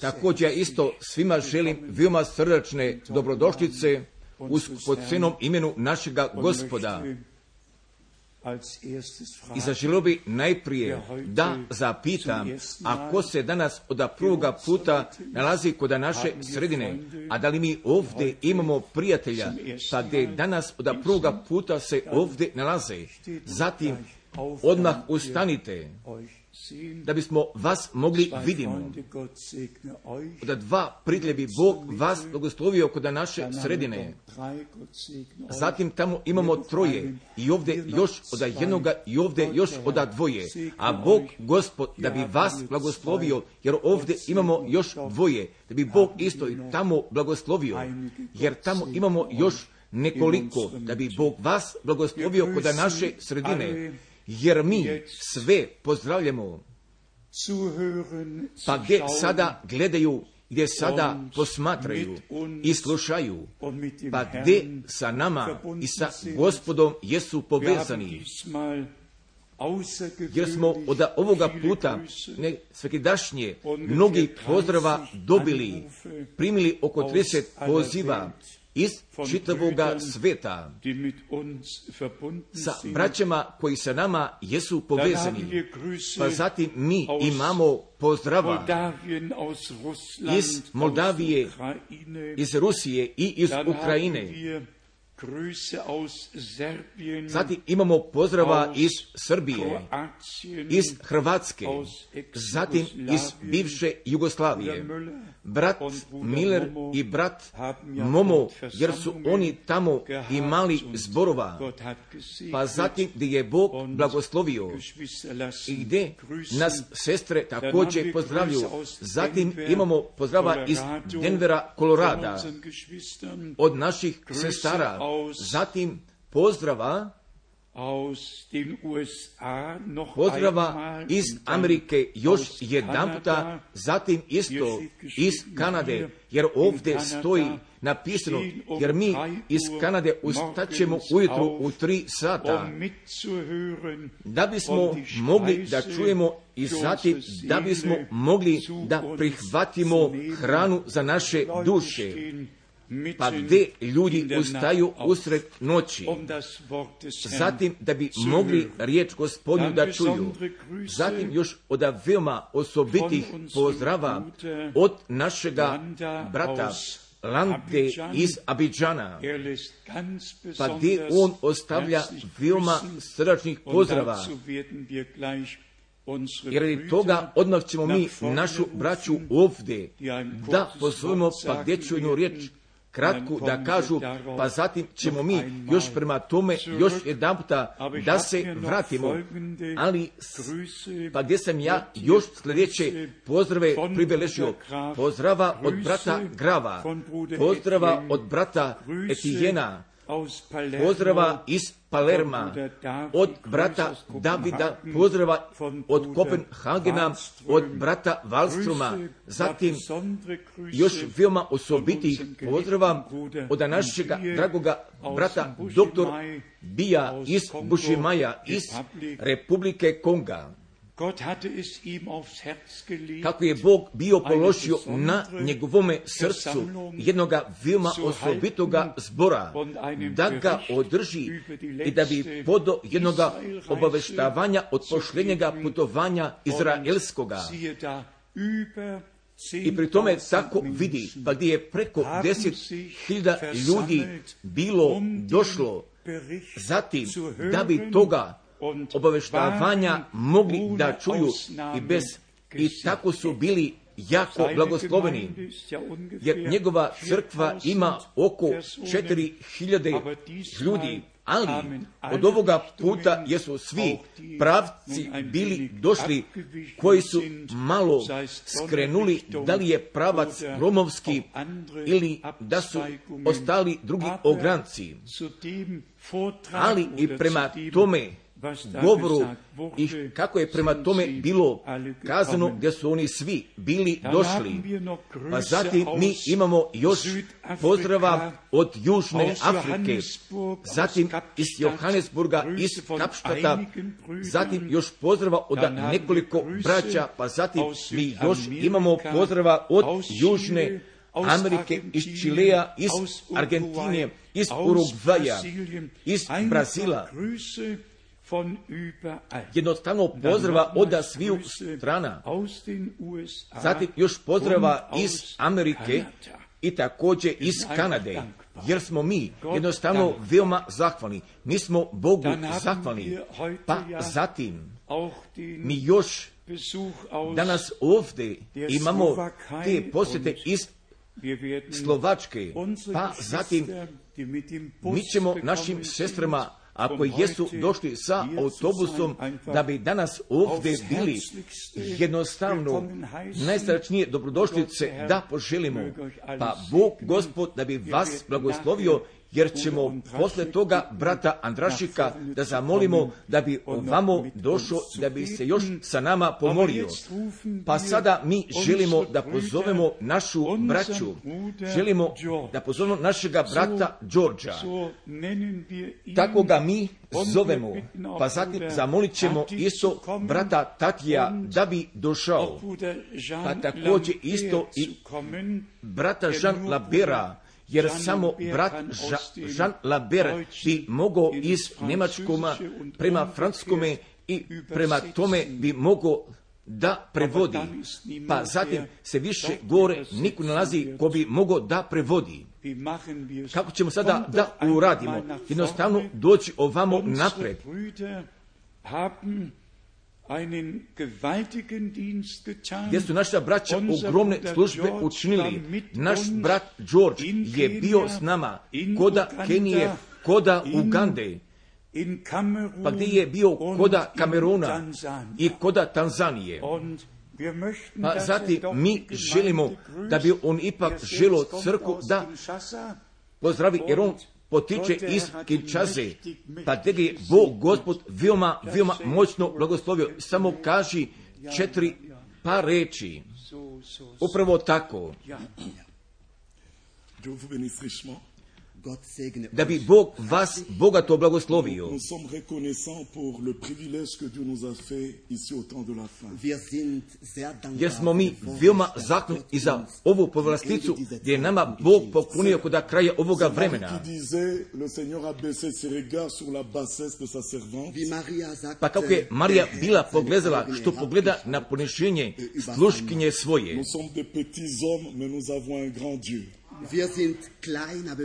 Također isto svima želim veoma srdačne dobrodošlice uz podcenom imenu našega Gospoda. I zaželio bi najprije da zapitam, ako se danas od prvoga puta nalazi kod naše sredine, a da li mi ovdje imamo prijatelja, pa gdje danas od prvoga puta se ovdje nalaze, zatim odmah ustanite, da bismo vas mogli vidimo. Da dva prijatelja bi Bog vas blagoslovio kod naše sredine. Zatim tamo imamo troje i ovdje još od jednoga i ovdje još od dvoje. A Bog Gospod da bi vas blagoslovio, jer ovdje imamo još dvoje, da bi Bog isto i tamo blagoslovio, jer tamo imamo još nekoliko, da bi Bog vas blagoslovio kod naše sredine. Jer mi sve pozdravljamo, pa gdje sada gledaju, gdje sada posmatraju i slušaju, pa gdje sa nama i sa Gospodom jesu povezani. Jer smo od ovoga puta svakidašnje mnogi pozdrava dobili, primili oko 30 poziva iz čitavoga sveta, sa braćama koji sa nama jesu povezani. Pa zatim mi imamo pozdrava iz Moldavije, iz Rusije i iz Ukrajine. Zatim imamo pozdrava iz Srbije, iz Hrvatske, zatim iz bivše Jugoslavije. Brat Miller i brat Momo, jer su oni tamo imali zborova, pa zatim gdje je Bog blagoslovio i gdje nas sestre također pozdravljuju. Zatim imamo pozdrava iz Denvera, Kolorada, od naših sestara. Zatim pozdrava iz Amerike još jedanputa, zatim isto iz Kanade, jer ovdje stoji napisano, jer mi iz Kanade ustaćemo ujutru u 3 sata, da bismo mogli da čujemo i zatim da bismo mogli da prihvatimo hranu za naše duše. Pa gdje ljudi ustaju usred noći, zatim da bi mogli riječ Gospodnju da čuju. Zatim još od veoma osobitih pozdrava od našega brata Lante iz Abidžana, pa gdje on ostavlja veoma srdačnih pozdrava. Jer radi toga odmah ćemo mi našu braću ovdje da pozovemo, pa gdje ću jednu riječ kratku da kažu, pa zatim ćemo mi još prema tome još jedan puta da se vratimo. Ali pa gdje sam ja još sljedeće pozdrave pribeležio. Pozdrava od brata Grava, pozdrava od brata Etijena, pozdrava iz Palerma, od brata Davida, pozdrava od Kopenhagena, od brata Wallstroma, zatim još veoma osobitih pozdrava od našega dragoga brata dr. Bija iz Bušimaja, iz Republike Konga. Kako je Bog bio položio na njegovome srcu jednoga veoma osobitoga zbora, da ga održi i da bi podo jednoga obaveštavanja od pošljenjega putovanja izraelskoga. I pri tome tako vidi, pa gdje je preko 10.000 ljudi bilo došlo, zatim da bi toga obaveštavanja mogli da čuju i tako su bili jako blagosloveni, jer njegova crkva ima oko 4.000 ljudi, ali od ovoga puta jesu svi pravci bili došli koji su malo skrenuli, da li je pravac romovski ili da su ostali drugi ogranci. Ali i prema tome govoru i kako je prema tome bilo kazano, gdje su oni svi bili došli. Pa zatim mi imamo još pozdrava od Južne Afrike, zatim iz Johannesburga, iz Kapštata, zatim još pozdrava od nekoliko braća, pa zatim mi još imamo pozdrava od Južne Amerike, iz Čilea, iz Argentine, iz Urugvaja, iz Brazila. Jednostavno pozdrava od sviju strana. Zatim još pozdrava iz Amerike i također iz Kanade, jer smo mi jednostavno veoma zahvalni. Mi smo Bogu zahvalni. Pa zatim mi još danas ovdje imamo te posjete iz Slovačke, pa zatim mi ćemo našim sestrama, ako jesu došli sa autobusom, da bi danas ovdje bili, jednostavno najsrdačnije dobrodošlice da poželimo. Pa Bog Gospod da bi vas blagoslovio, jer ćemo posle toga brata Andrašika da zamolimo da bi ovamo došao, da bi se još sa nama pomolio. Pa sada mi želimo da pozovemo našu braću, želimo da pozovemo našega brata Đorđa. Tako ga mi zovemo. Pa zatim zamolit ćemo isto brata Tatija da bi došao. Pa također isto i brata Jean Labera, jer samo brat Jean Laber bi mogao iz Njemačkoma prema Francuskome i prema tome bi mogao da prevodi. Pa zatim se više gore niko nalazi ko bi mogao da prevodi. Kako ćemo sada da uradimo? Jednostavno doći ovamo napred. Gdje su naša braća ogromne službe učinili. Naš brat George je bio s nama koda Kenije, koda Ugande, pa gdje je bio koda Kameruna i koda Tanzanije. Pa zatim mi želimo da bi on ipak želio crkvu da pozdravi, jer on potiče iz Kinshase, pa gdje je Bog Gospod veoma moćno blagoslovio. Samo kaži 4 par reči. Upravo tako. Da bi Bog vas bogato blagoslovio. Jer smo mi veoma zahvalni i za ovu povlasticu gdje je nama Bog poklonio kod kraja ovoga vremena. Pa kako je Marija bila pogledala što pogleda na poniženje sluškinje svoje.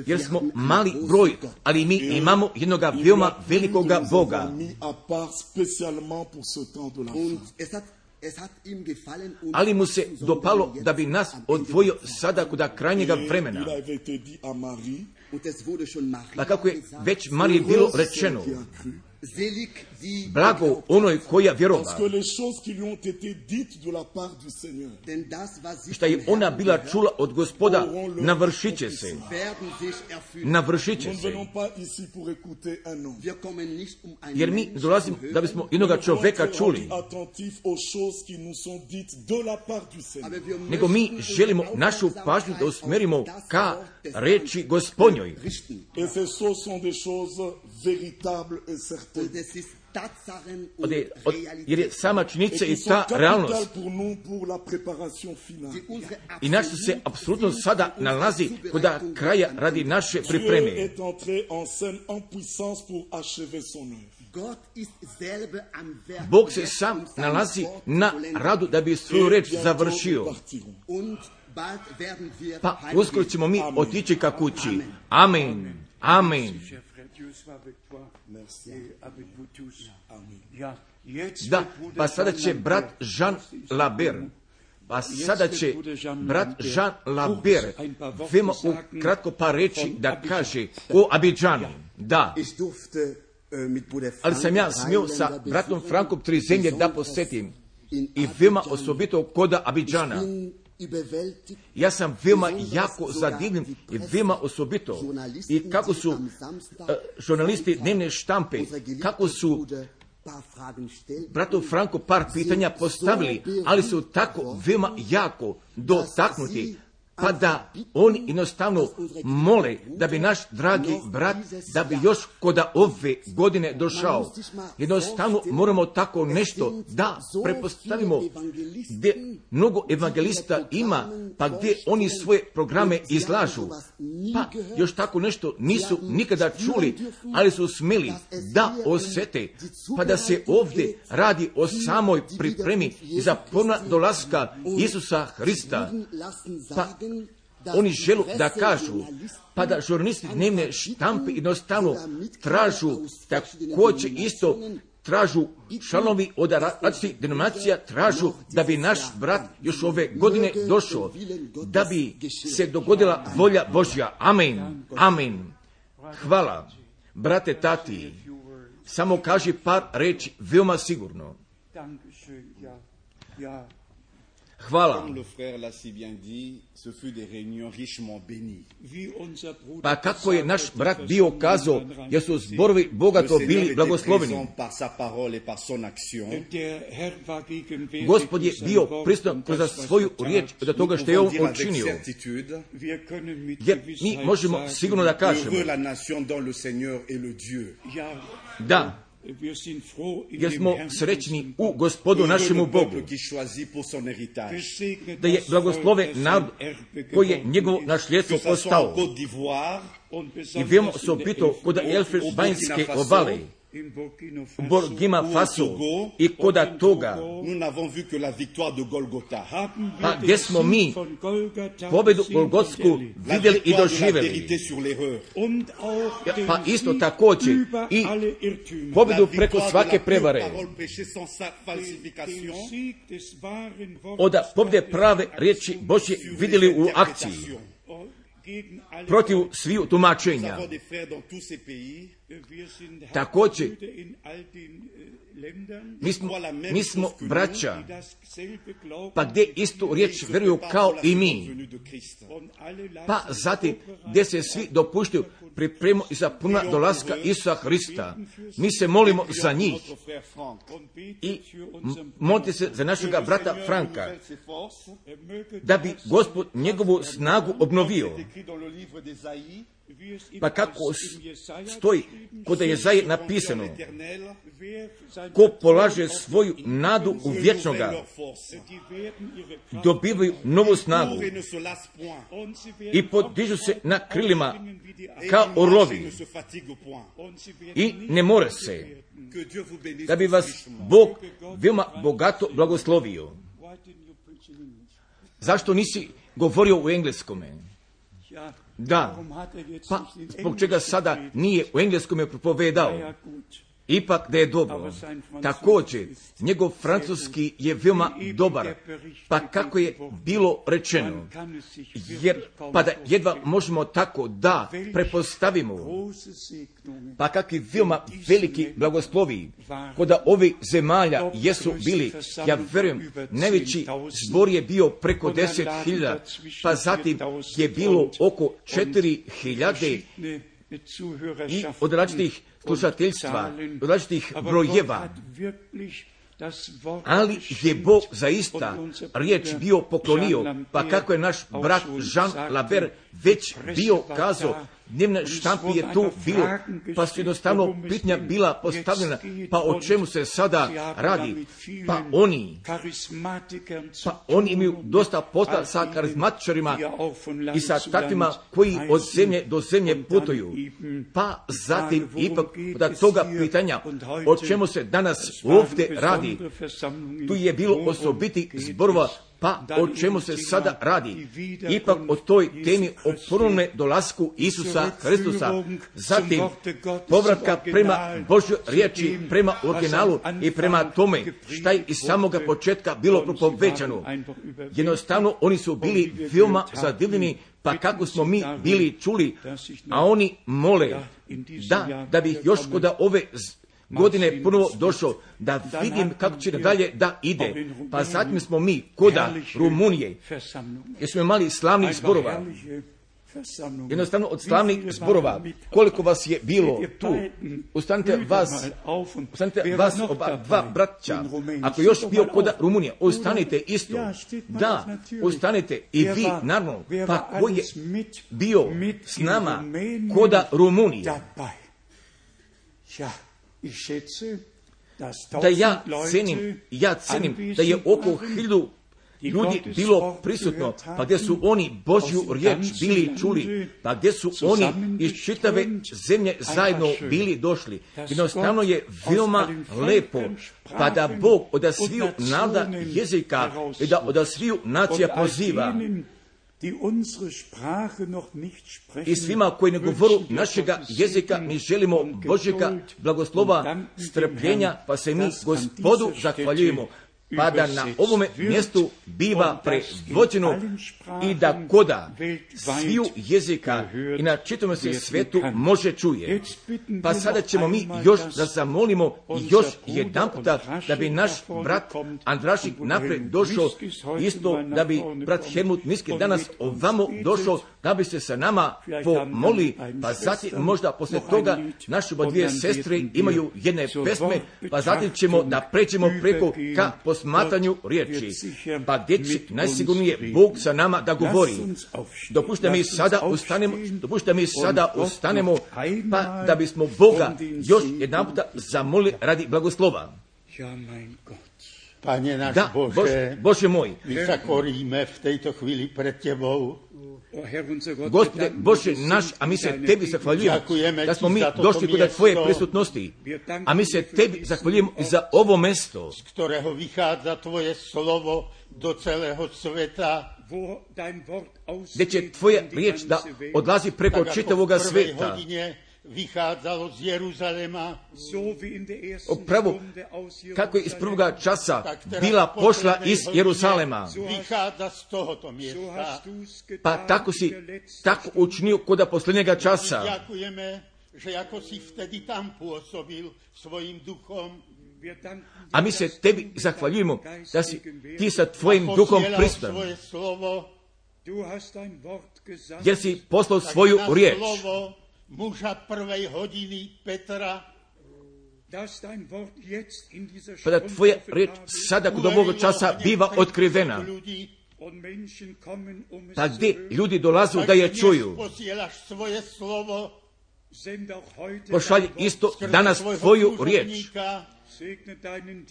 Jer smo mali broj, ali mi imamo jednoga veoma velikoga Boga. Ali mu se dopalo da bi nas odvojio sada kod krajnjega vremena. Pa kako je već Mariji bilo rečeno, blago onoj koja vjerova, šta je ona bila čula od Gospoda, navršit će se. Navršit će se. Jer mi dolazimo da bismo jednoga čoveka čuli, nego mi želimo našu pažnju da usmerimo ka reči Gospodnjoj. Jer je sama činjenica i ta realnost. I naš se apsolutno sada nalazi kod kraja radi naše pripreme. Bog se sam nalazi na radu da bi svoju reč završio. Pa uskoro ćemo mi otići ka kući. Amen. Amen. Da, pa sada će brat Jean Laber, veoma kratko par reći da kaže o Abidžanu. Da, ali sam ja smio sa bratom Frankom 3 zemlje da posjetim i veoma osobito kod Abidžana. Ja sam veoma jako zadivljen i veoma osobito i kako su žurnalisti dnevne štampe, kako su bratu Franku par pitanja postavili, ali su tako veoma jako dotaknuti, pa da oni jednostavno mole da bi naš dragi brat, da bi još kod ove godine došao. Jednostavno moramo tako nešto da prepostavimo gdje mnogo evangelista ima, pa gdje oni svoje programe izlažu. Pa još tako nešto nisu nikada čuli, ali su smjeli da osjete, pa da se ovdje radi o samoj pripremi za ponovna dolaska Isusa Hrista. Pa oni želu da kažu, pa da žurnalisti dnevne štampe jednostavno tražu, također isto tražu članovi od različitih denominacija, tražu da bi naš brat još ove godine došao, da bi se dogodila volja Božja. Amen, amen. Hvala, brate Tati, samo kaži par reči veoma sigurno. Hvala. Pa kako je naš brat bio kazao, jer su zborovi bogato bili blagosloveni. Gospod je bio prisutan kroz svoju riječ do toga što je on učinio. Jer mi možemo sigurno da kažemo da, jer smo srećni u Gospodu našemu Bogu, da je blagoslove narod koji je njegovo nasljedstvo postao. I veoma se opitao kod Elfenbajnske obale, u Burkina Faso i kod toga, pa gdje smo mi pobedu Golgotsku vidjeli i doživjeli, pa isto također i pobedu preko svake prevare, od pobjede prave riječi Božje vidjeli u akciji protiv sviju tumačenja. Također, mi smo braća, pa gdje istu riječ vjeruju kao i mi, pa zatim gdje se svi dopuštaju pripremu i za puna dolaska Isusa Hrista. Mi se molimo za njih i molite se za našega brata Franka, da bi Gospod njegovu snagu obnovio. Pa kako stoji kod Jezaje napisano, ko polaže svoju nadu u vječnoga, dobivaju novu snagu i podižu se na krilima kao orlovi i ne more se, da bi vas Bog veoma bogato blagoslovio. Zašto nisi govorio u engleskome? Da, pa zbog čega sada nije u engleskome propovedao? Ipak da je dobro. Također, njegov francuski je veoma dobar, pa kako je bilo rečeno, jer pa da jedva možemo tako da prepostavimo, pa kakvi veoma veliki blagoslovi kod ovih zemalja jesu bili. Ja vjerujem, najveći zbor je bio preko 10.000, pa zatim je bilo oko 4.000 i od različitih slušateljstva, od različitih brojeva. Ali je Bog zaista riječ bio poklonio, pa kako je naš brat Jean Laber već bio kazao, dnevne štampi je tu bilo, pa su jednostavno pitanja bila postavljena, pa o čemu se sada radi? Pa oni imaju dosta posla sa karizmatičarima i sa takvima koji od zemlje do zemlje putuju. Pa zatim ipak od toga pitanja o čemu se danas ovdje radi, tu je bilo osobitih zborova, pa o čemu se sada radi? Ipak o toj temi o ponovnom dolasku Isusa Hristusa, zatim povratka prema Božjoj riječi, prema originalu i prema tome šta je iz samoga početka bilo propovećano. Jednostavno oni su bili veoma zadivljeni, pa kako smo mi bili čuli, a oni mole da bi još kod ove godine ponovo došao, da vidim kako će dalje da ide. Pa zatim smo mi koda Rumunije, jer smo imali slavnih zborova, jednostavno od slavnih zborova, koliko vas je bilo tu, ustanite vas dva braća, ako još bio kod Rumunije, ustanite isto, da, ustanite i vi, naravno, pa ko je bio s nama kod Rumunije, da ja cenim da je oko 1000 ljudi bilo prisutno, pa gdje su oni Božju riječ bili čuli, pa gdje su oni iz čitave zemlje zajedno bili došli. Jednostavno je veoma lepo, pa da Bog od sviju naroda jezika i da od sviju nacija poziva i svima koji ne govoru našega jezika, mi želimo Božjega blagoslova, strpljenja, pa se mi Gospodu zahvaljujemo, pa da na ovome mjestu biva prevođeno i da koda sviju jezika i na čitavom se svetu može čuje. Pa sada ćemo mi još da zamolimo još jedan puta da bi naš brat Andrašik napred došao, isto da bi brat Helmut Miski danas ovamo došao, da bi se sa nama pomoli, pa zatim možda posle toga naše dvije sestre imaju jedne pesme, pa zatim ćemo da pređemo preko ka posmatranju riječi, pa gdje će najsigurnije Bog sa nama da govori. Dopušte mi sada ustanemo, pa da bismo Boga još jedan puta zamolili radi blagoslova. Pane náš Bože môj, vysakoríme v tejto chvíli pred Tebou. Gospode Bože náš, a my se Tebi zahvaljujemo da smo mi došli kod Tvoje prisutnosti. A my se Tebi zahvaljujemo i za ovo mesto, z ktorého vychádza Tvoje slovo do celého sveta, gdje će Tvoja riječ da odlazi preko čitavoga sveta. Vychádzalo z Jeruzalema, Upravo kako je iz prvoga časa bila pošla iz Jeruzalema, vychádza z tohoto miesta. pa tako si tako učinio kod posljednjega časa. Ďakujeme, že ako si vtedy tam pôsobil svojim duchom, a my se Tebi zahvaljujemo da si ti sa Tvojim duhom prisutan, jer si poslao svoju riječ. Muža prvej hodiny Petra, pa da Tvoja riječ sada kod ovog časa biva otkrivena, pa gdje ljudi dolazu da je čuju. Pošalji isto danas Tvoju riječ.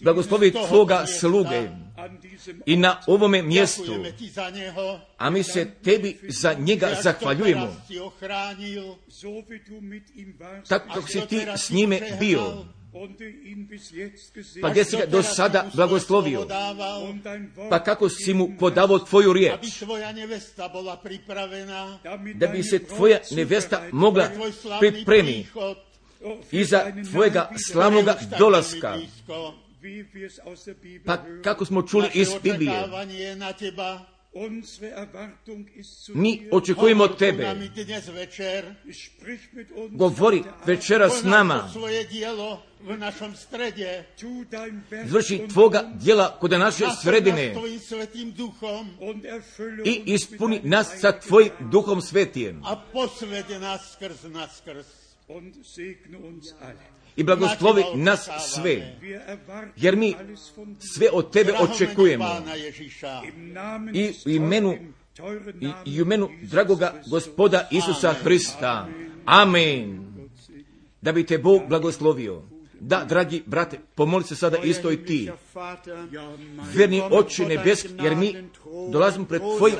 Blagoslovi Tvoga sluge i na ovome mjestu, a mi se Tebi za njega zahvaljujemo, tako kako si Ti s njime bio, pa gdje si ga do sada blagoslovio, pa kako si mu podavao Tvoju riječ, da bi se Tvoja nevesta mogla pripremiti i za Tvojega slavnoga dolaska. Pa kako smo čuli iz Biblije, mi očekujemo Tebe. Govori večera s nama. Izvrši Tvoga djela kod naše sredine i ispuni nas sa Tvojim duhom svetijem. I blagoslovi nas sve, jer mi sve od Tebe očekujemo. I u imenu dragoga Gospoda Isusa Hrista. Amen. Da bi Te Bog blagoslovio. Da, dragi brate, pomoli se sada isto i ti. Verni Oče nebeski, jer mi dolazimo pred Tvojim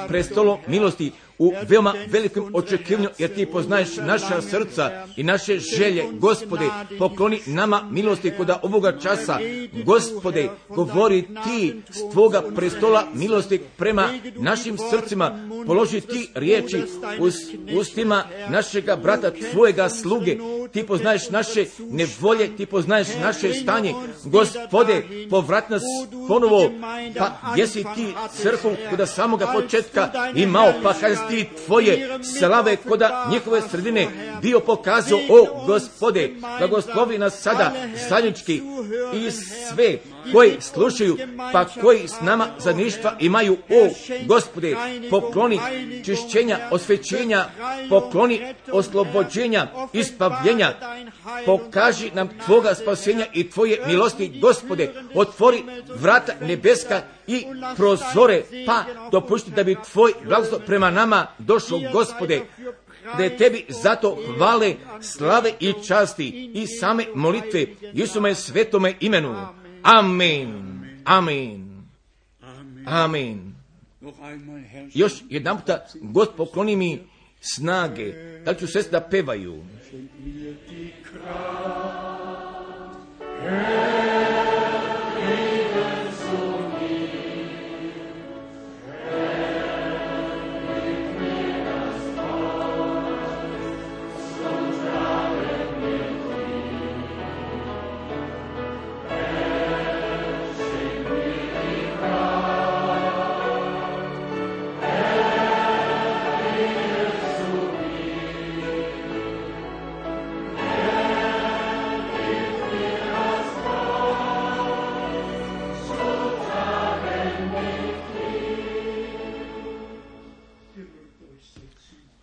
prestolom milosti u veoma velikom očekivanju, jer Ti poznaješ naša srca i naše želje. Gospode, pokloni nama milosti kod ovoga časa. Gospode, govori Ti s Tvoga prestola milosti prema našim srcima. Položi Ti riječi ustima našega brata, Tvojega sluge. Ti poznaješ naše nevolje, Ti poznaješ naše stanje. Gospode, povrat nas ponovo, pa jesi Ti crkvu kod samoga početka imao, pa kad si Ti Tvoje slave kod njihove sredine bio pokazao, o Gospode, blagoslovi nas sada zajednički i sve koji slušaju, pa koji s nama zajedništva imaju. O Gospode, pokloni čišćenja, osvećenja, pokloni oslobođenja, ispavljenja, pokaži nam Tvoga spasenja i Tvoje milosti, Gospode, otvori vrata nebeska i prozore, pa dopusti da bi Tvoj blagoslov prema nama došao, Gospode, da je Tebi zato hvale, slave i časti i same molitve Isume svetome imenu. Amen. Amen. Amen. Još jedan puta, Gospod, pokloni mi snage, da ću sest da pevaju.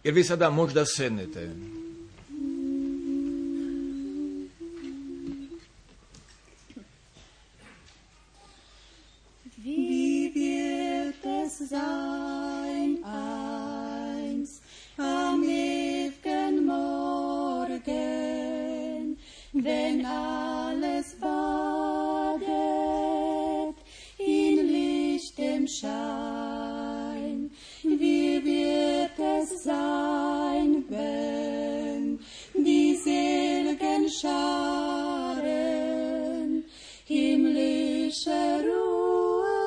Jer vi sada možda sednete. Wie wird es sein einst am ewigen Morgen, wenn alles badet in lichtem Schein? Wie wird es sein, wenn die seligen Scharen himmlische Ruhe,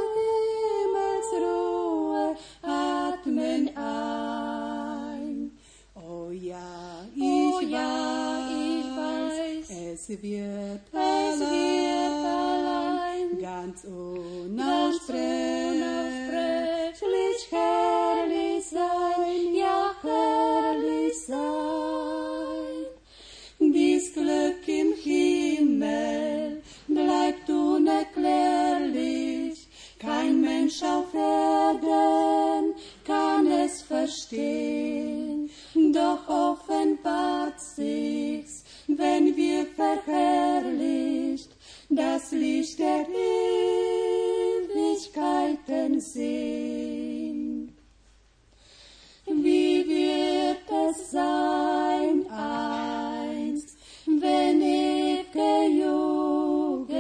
Himmelsruhe atmen ein? Oh ja, ich weiß, es wird allein ganz unaussprechlich herrlich sein, ja herrlich sein. Dies Glück im Himmel bleibt unerklärlich, kein Mensch auf Erden kann es verstehen, doch offenbart sich's, wenn wir verherrlicht das Licht der Ewigkeiten sehen. Wie wird es sein einst, wenn ewige Jugend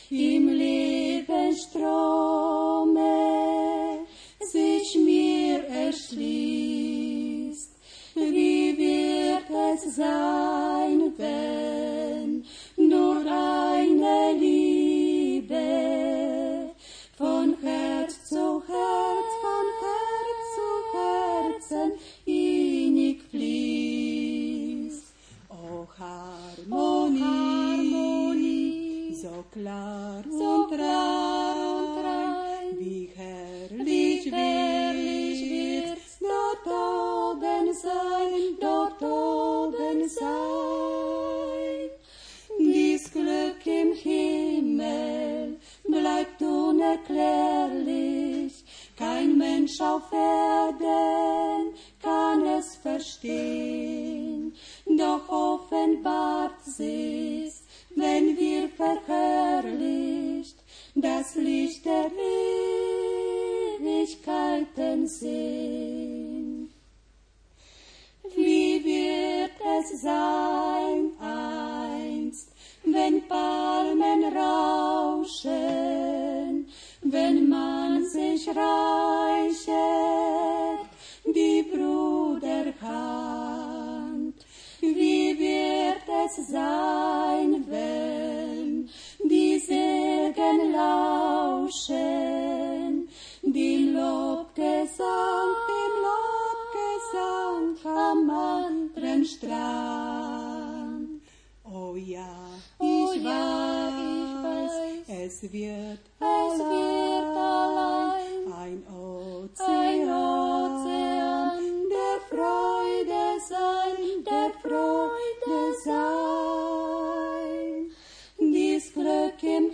im Lebensstrome sich mir erschließt? Wie wird es sein, wenn nur eine Liebe von Herz zu Herz, von Herz zu Herzen innig fließt? O Harmonie, so klar und rein, wie herrlich wird's dort oben sein, dort oben sein. Dies Glück im Himmel bleibt unerklärlich, kein Mensch auf Erden kann es verstehen, doch offenbart sich's, wenn wir verherrlicht das Licht der Ewigkeiten sehen. Wie wird es sein einst, wenn Palmen rauschen, wenn man sich reichet, die Bruderhand? Wie wird es sein, wenn die Segen lauschen, die Lobgesang am anderen Strand? Oh ja, ich weiß, es wird allein ein Ozean der Freude sein. Dies Glück im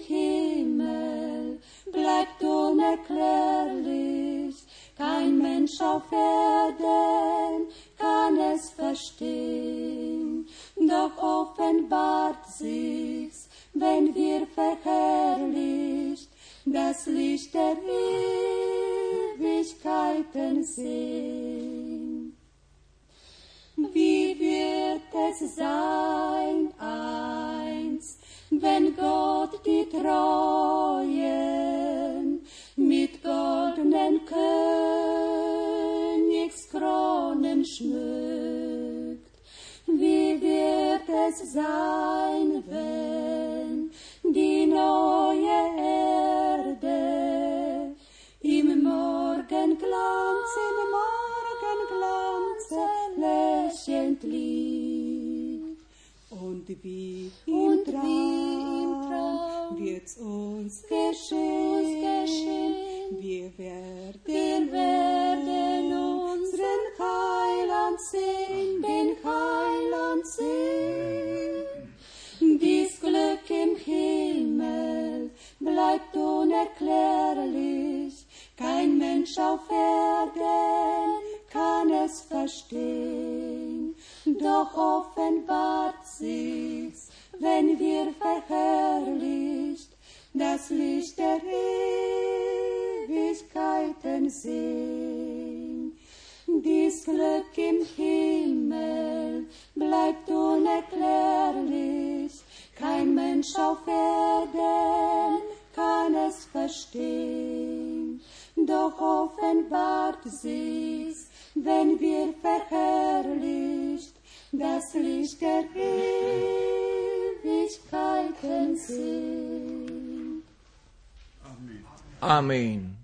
Mensch auf Erden kann es verstehen, doch offenbart sich's, wenn wir verherrlicht das Licht der Ewigkeiten sehen. Wie wird es sein einst, wenn Gott die Treuen mit goldenen Königskronen schmückt? Wie wird es sein, wenn die neue Erde im Morgenglanze lächelnd liegt? Und wie im Traum wird's uns geschehen, wir werden unseren Heiland sehen, den Heiland sehen. Dies Glück im Himmel bleibt unerklärlich, kein Mensch auf Erden kann es verstehen, doch offenbart sich's, wenn wir verherrlicht das Licht der Ewigkeiten sehen. Dies Glück im Himmel bleibt unerklärlich, kein Mensch auf Erden kann es verstehen, doch offenbart sich's, wenn wir verherrlicht das Licht der Ewigkeiten sehen. Amen. Amen.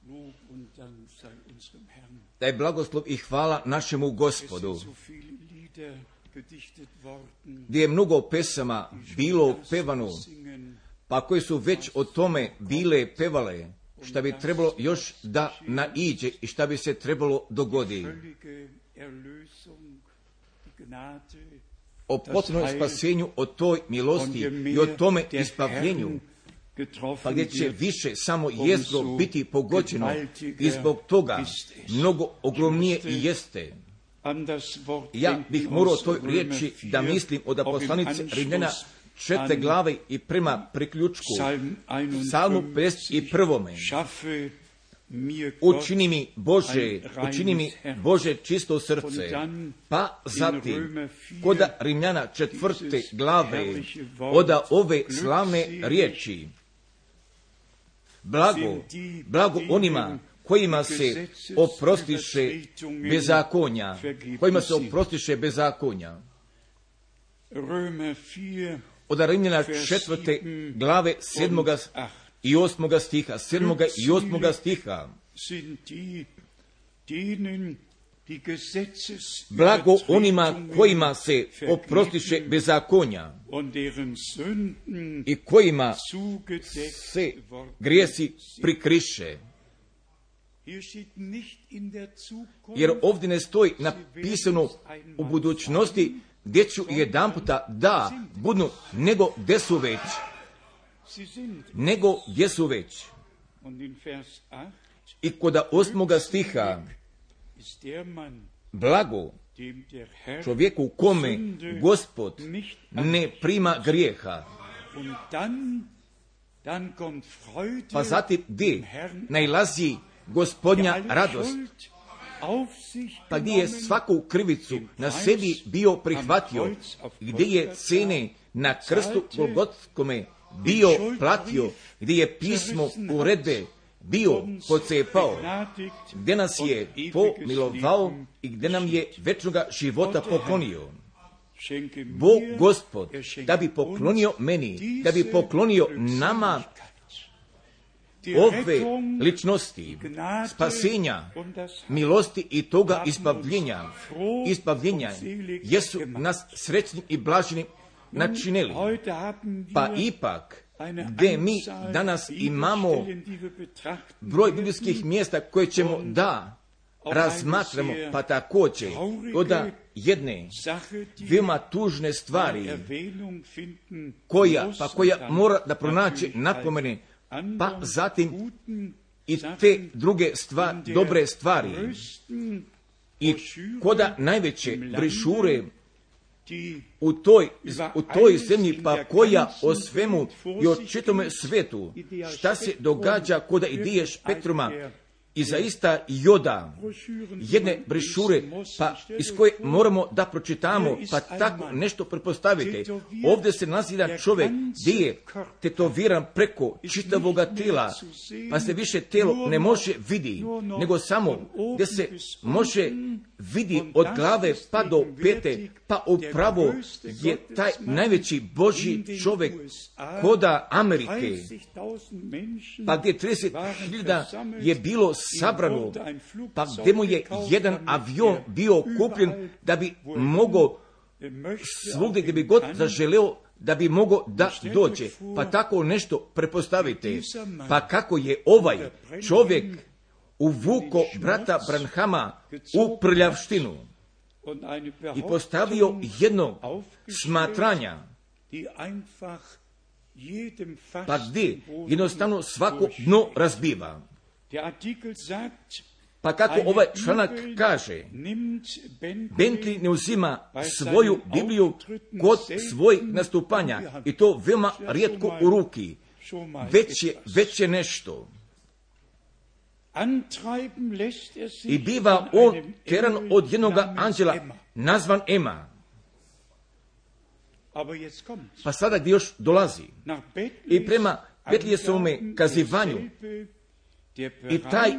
Lob und Dank sei unserem Herrn. Daj blagoslov i hvala našemu Gospodu, Es sind so viele Lieder gedichtet worden, gdje je mnogo pesama bilo pevano, singen, pa koje su već o tome bile pevale, šta bi trebalo još da naiđe i šta bi se trebalo dogoditi. völlige Erlösung, die Gnade, O potpunom spasenju, o toj milosti i o tome ispavljenju, pa gdje će više samo jezgro biti pogođeno i zbog toga mnogo ogromnije i jeste. Ja bih morao toj riječi da mislim od poslanice Rimljana 4. glave i prema priključku Psalmu 51. Učini mi Bože čisto srce, pa zatim koda Rimljana 4. glave oda ove slavne riječi. Blago onima kojima se oprostiše bezakonja, Od Rimljana 4. glave 7. i 8. stiha, 7. i 8. stiha. Blago onima kojima se oprostiše bezakonja i kojima se grijesi prikriše. Jer ovdje ne stoji napisano u budućnosti gdje ću jedanputa da budu, nego gdje su već. I kod 8. stiha, blago čovjeku kome Gospod ne prima grijeha. Pa zatim gdje nailazi Gospodnja radost, pa gdje je svaku krivicu na sebi bio prihvatio, gdje je cene na krstu Golgotskome bio platio, gdje je pismo uredbe bio pocepao, gdje nas je pomilovao i gdje nam je večnoga života poklonio. Bog Gospod da bi poklonio meni, da bi poklonio nama ove ličnosti, spasenja, milosti i toga izbavljenja, jesu nas srećnim i blaženim načinili. Pa ipak, gdje mi danas imamo broj biblijskih mjesta koje ćemo da razmatramo, pa također od jedne veoma tužne stvari koja mora da pronaći napomene, pa zatim i te druge dobre stvari. I koda najveće brišure u toj zemlji, pa koja o svemu i o čitome svetu, šta se događa koda idiješ Petruma, i zaista Joda, jedne brišure, pa iz koje moramo da pročitamo, pa tako nešto pretpostavite. Ovdje se nalazi jedan čovjek gdje je tetoviran preko čitavoga tijela, pa se više tijelo ne može vidi, nego samo gdje se može vidi od glave pa do pete, pa upravo je taj najveći Božji čovjek koda Amerike, pa gdje 30.000 je bilo sabrano, pa gdje mu je jedan avion bio kupljen da bi mogao svugdje gdje bi god zaželeo da bi mogao da dođe. Pa tako nešto prepostavite. Pa kako je ovaj čovjek uvuko brata Branhama u prljavštinu i postavio jedno smatranja, pa gdje jednostavno svako dno razbiva. Pa kako ovaj članak kaže, Bentley ne uzima svoju Bibliju kod svojih nastupanja i to veoma rijetko u ruki, već je nešto. I biva on teran od jednoga anđela nazvan Ema. Pa sada gdje još dolazi i prema Betlijesovome kazivanju i taj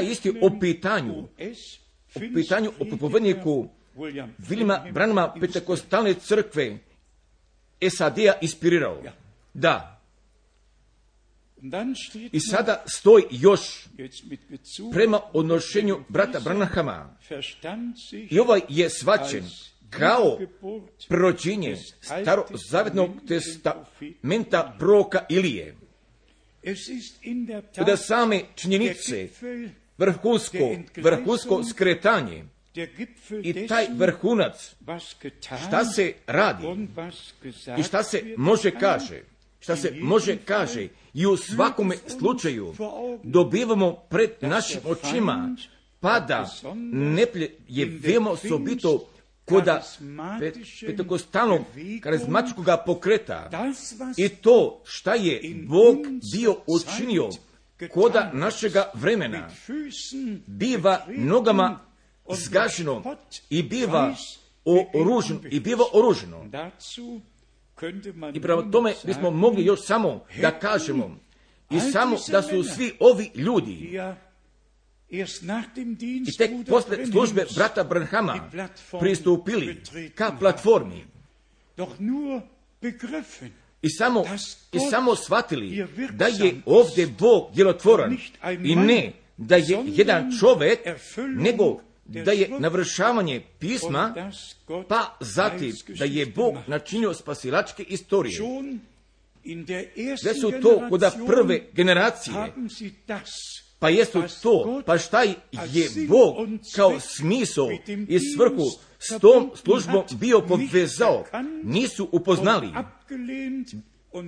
isti o pitanju o propovedniku Williama Branhama Pentekostalne crkve SAD-a inspirirao. Da. I sada stoji još prema odnošenju brata Branhama. I ovaj je shvaćen kao prerođenje starozavjetnog testamenta proroka Ilije. Da same činjenice, vrhunsko skretanje i taj vrhunac, šta se radi i šta se može kaže, i u svakome slučaju dobivamo pred našim očima, pa da neplje je veoma osobito koda pentekostalnog karizmatičkog pokreta i to šta je Bog bio učinio koda našega vremena biva nogama zgaženo i biva oruženo. I prema tome bismo mogli još samo da kažemo i samo da su svi ovi ljudi i tek posle službe brata Branhama pristupili ka platformi i samo shvatili da je ovdje Bog djelotvoran i ne da je jedan čovjek, nego da je navršavanje pisma, pa zatim da je Bog načinio spasilačke istorije. Sve su to kod prve generacije, pa jesu to, pa šta je Bog kao smisao i svrhu s tom službom bio povezao, nisu upoznali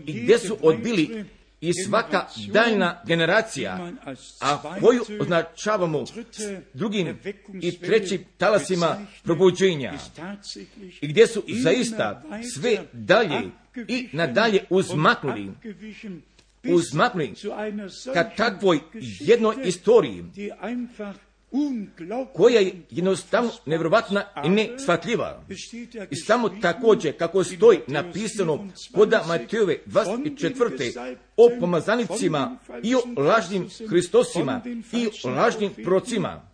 i gdje su odbili i svaka daljna generacija, a koju označavamo drugim i trećim talasima probuđenja, i gdje su zaista sve dalje i nadalje uzmaknuli ka takvoj jednoj istoriji koja je jednostavno nevjerovatna i neshvatljiva. I samo također kako stoji napisano koda Matejove 24. o pomazanicima i o lažnim Hristosima i o lažnim procima.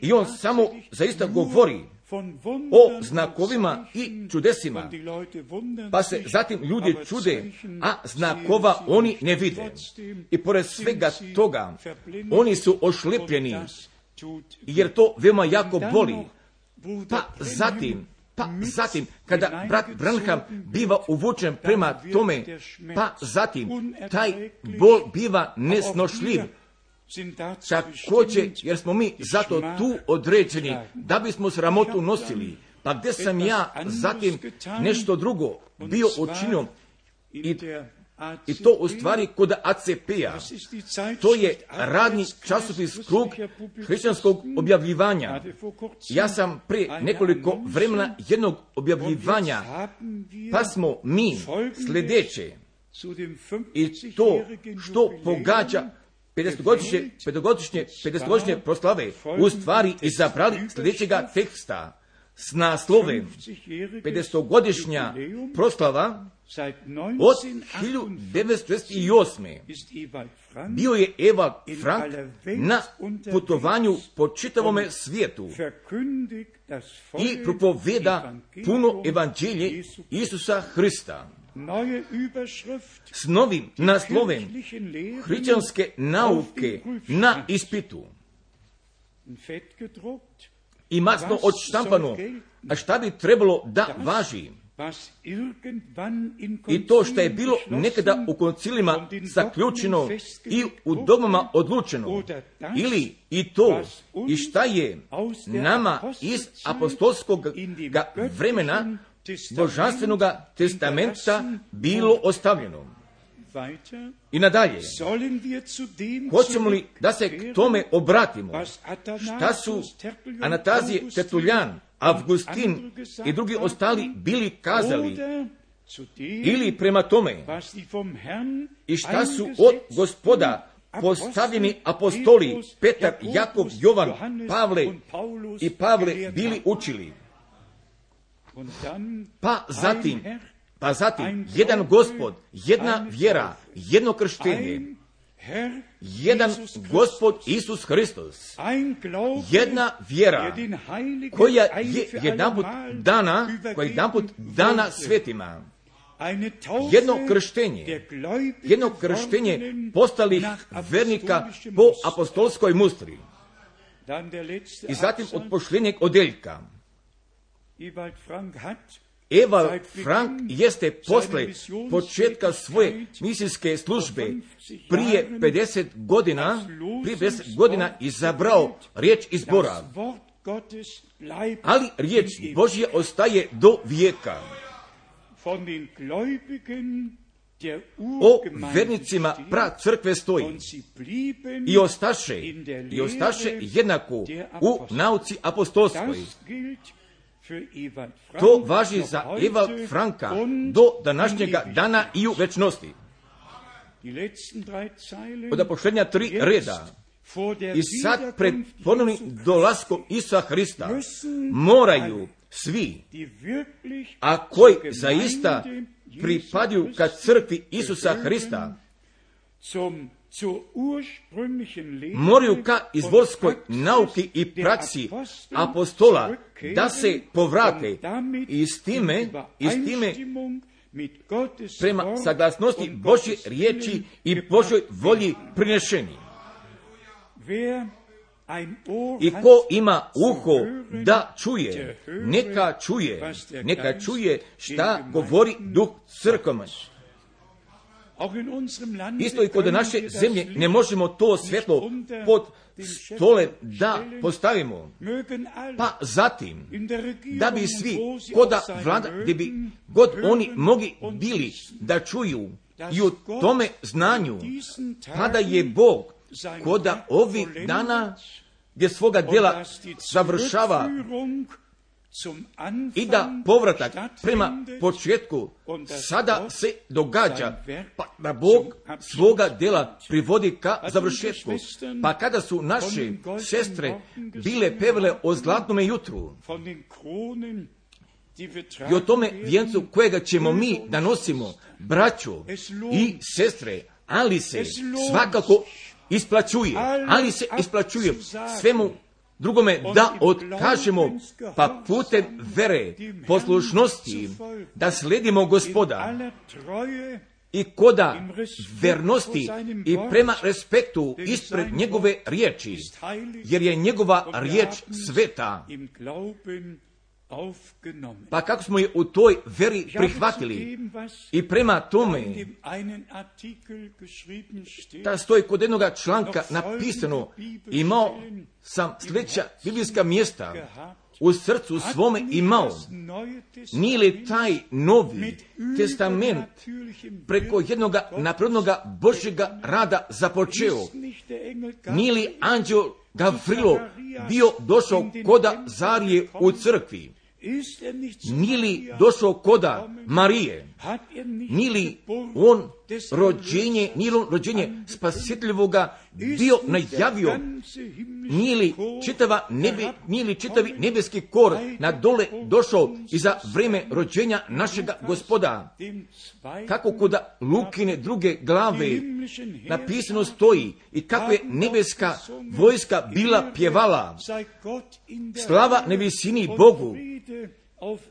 I on samo zaista govori o znakovima i čudesima, pa se zatim ljudi čude, a znakova oni ne vide. I pored svega toga, oni su ošlepljeni, jer to veoma jako boli. Pa zatim, kada brat Branham biva uvučen prema tome, pa zatim, taj bol biva nesnošljiv. Također, jer smo mi zato tu određeni, da bismo sramotu nosili. Pa gdje sam ja zatim nešto drugo bio učinio i I to u stvari kod ACP-a. To je radni časopis Krug hrišćanskog objavljivanja. Ja sam prije nekoliko vremena jednog objavljivanja, pa smo mi sljedeće, i to što pogađa 50-godišnje proslave, u stvari izabrali sljedećega teksta s naslovem 50-godišnja proslava od 1968. Bio je Ewald Frank na putovanju po čitavome svijetu i propoveda puno evanđelje Isusa Hrista s novim naslovem hrišćanske nauke na ispitu. I masno odštampano, a šta bi trebalo da važi? I to što je bilo nekada u koncilima zaključeno i u domama odlučeno, ili i to i šta je nama iz apostolskog vremena božanstvenog testamenta bilo ostavljeno. I nadalje, hoćemo li da se k tome obratimo? Šta su Anastazije, Tertuljan, Avgustin i drugi ostali bili kazali? Ili prema tome, i šta su od Gospoda postavljeni apostoli Petar, Jakov, Jovan, Pavle i Pavle bili učili? Pa zatim, jedan Gospod, jedna vjera, jedno krštenje, jedan Gospod Isus Hristos, jedna vjera koja je jedanput dana svetima, jedno krštenje postalih vernika po apostolskoj mustri. I zatim od pošljenjeg odeljka. Ewald Frank jeste posle početka svoje misijske službe prije 50 godina izabrao riječ izbora, ali riječ Božja ostaje do vijeka. O vernicima pra crkve stoji i ostaše jednako u nauci apostolskoj. To važi za Ewald Franka do današnjega dana i u večnosti. Od posljednja 3 reda. I sad pred ponovnim dolaskom Isusa Hrista moraju svi, a koji zaista pripadaju ka crkvi Isusa Hrista, moraju ka izvorskoj nauki i praksi apostola da se povrate i s time prema saglasnosti Božje riječi i Božoj volji prinešeni. I ko ima uho da čuje, neka čuje šta govori Duh crkvama. Isto i kod naše zemlje ne možemo to svjetlo pod stole da postavimo. Pa zatim, da bi svi, koda vlada, gdje bi god oni mogli bili da čuju i u tome znanju, pa da je Bog koda ovih dana gdje svoga djela završava i da povratak prema početku sada se događa, pa da Bog svoga djela privodi ka završetku. Pa kada su naše sestre bile pevale o zlatnome jutru i o tome vijencu kojega ćemo mi da nosimo, braćo i sestre, ali se svakako isplaćuje svemu drugome da otkažemo, pa putem vere, poslušnosti, da sledimo Gospoda i koda vernosti i prema respektu ispred njegove riječi, jer je njegova riječ sveta. Pa kako smo je u toj veri prihvatili i prema tome, da stoji kod jednoga članka napisano, imao sam sljedeća biblijska mjesta u srcu svome imao. Nije li taj Novi testament preko jednoga naprednoga Božjega rada započeo? Nije li anđeo Gavrilo bio došao koda Zarije u crkvi? Nije li došao koda Marije? Nije li on rođenje spasiteljevoga bio najavio? Nije li čitavi nebeski kor na dole došao i za vrijeme rođenja našega Gospoda? Kako koda Lukine druge glave napisano stoji i kako je nebeska vojska bila pjevala: slava na visini Bogu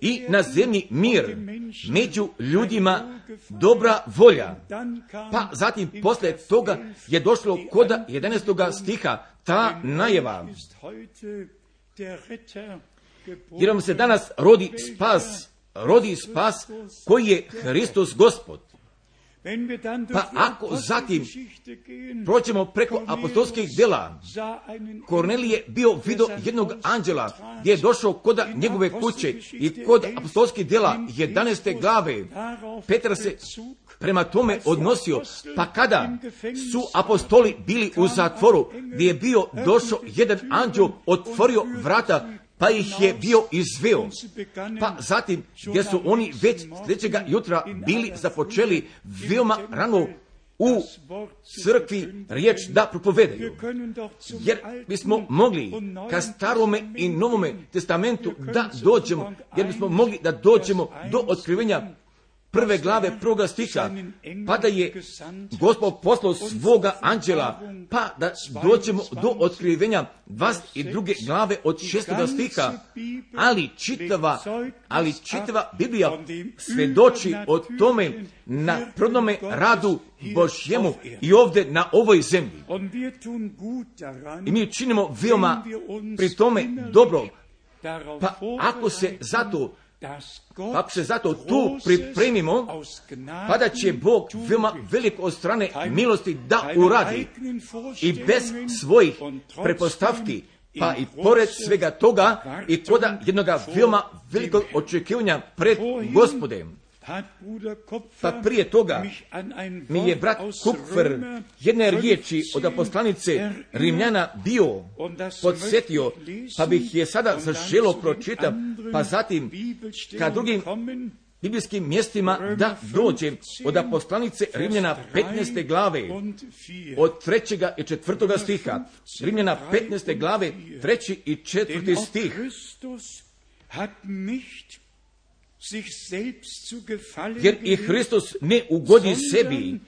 i na zemlji mir, među ljudima dobra volja. Pa zatim poslije toga je došlo koda 11. stiha ta najava: jer vam se danas rodi spas koji je Hristos Gospod. Pa ako zatim prođemo preko apostolskih djela, Kornelije bio vidio jednog anđela gdje je došao koda njegove kuće i kod apostolskih djela 11. glave Petar se prema tome odnosio. Pa kada su apostoli bili u zatvoru, gdje je bio došao jedan anđel, otvorio vrata, pa ih je bio izveo. Pa zatim, gdje su oni već sljedećega jutra bili započeli veoma rano u crkvi riječ da propovedaju. Jer bismo mogli ka Starome i Novome testamentu da dođemo, jer bismo mogli da dođemo do otkrivenja 1. glave 1. stiha, pa da je Gospod poslao svoga anđela, pa da dođemo do otkrivenja 22. glave od 6. stiha, ali čitava Biblija svjedoči o tome na prvome radu Božjemu i ovdje na ovoj zemlji. I mi činimo veoma pri tome dobro. Pa ako se zato tu pripremimo, pa da će Bog veoma veliko od strane milosti da uradi i bez svojih prepostavki, pa i pored svega toga i koda jednoga veoma velikog očekivanja pred Gospodem. Pa prije toga mi je brat Kupfer jedne riječi od poslanice Rimljana bio podsjetio, pa bih je sada zaželo pročitati, pa zatim ka drugim biblijskim mjestima da dođem od poslanice Rimljana 15. glave od 3. i 4. stiha. Rimljana 15. glave 3. i 4. stih. Jer i Hristos ne ugodi sebi,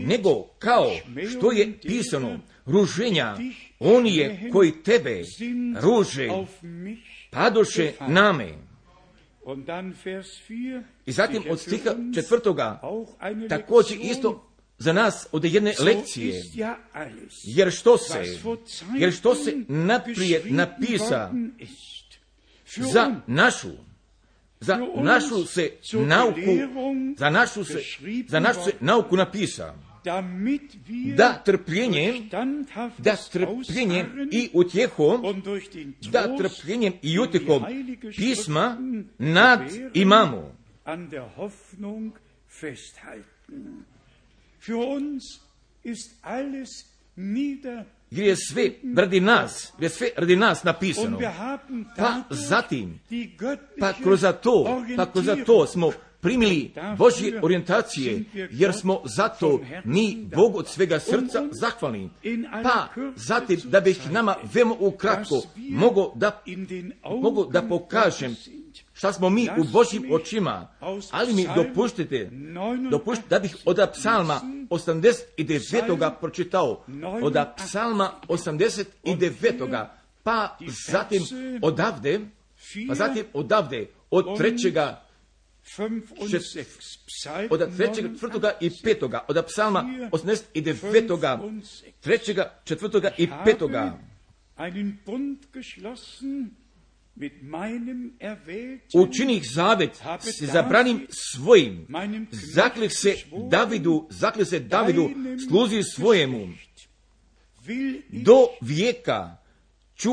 nego kao što je pisano, ruženja oni je koji tebe ruže, padoše name. I zatim od stiha 4. također isto za nas od jedne lekcije, jer što se naprijed napisa za našu se nauku napisa, da trpljenjem i utjehom pisma nad imamo. Jer je sve radi nas napisano. Pa zatim, kroz to smo primili Božje orijentacije, jer smo zato mi Bogu od svega srca zahvalni. Pa zatim, da bih nama veoma ukratko mogu da pokažem šta smo mi u Božjim očima, ali mi dopustite da bih od Psalma 89. pročitao, od Psalma 89. pa zatim odavde od 3. od 3., 4. i 5. od Psalma 89. 3., 4. i 5. Učinih zavet se zabranim svojim, zaklih se Davidu sluzi svojemu, do vijeka ću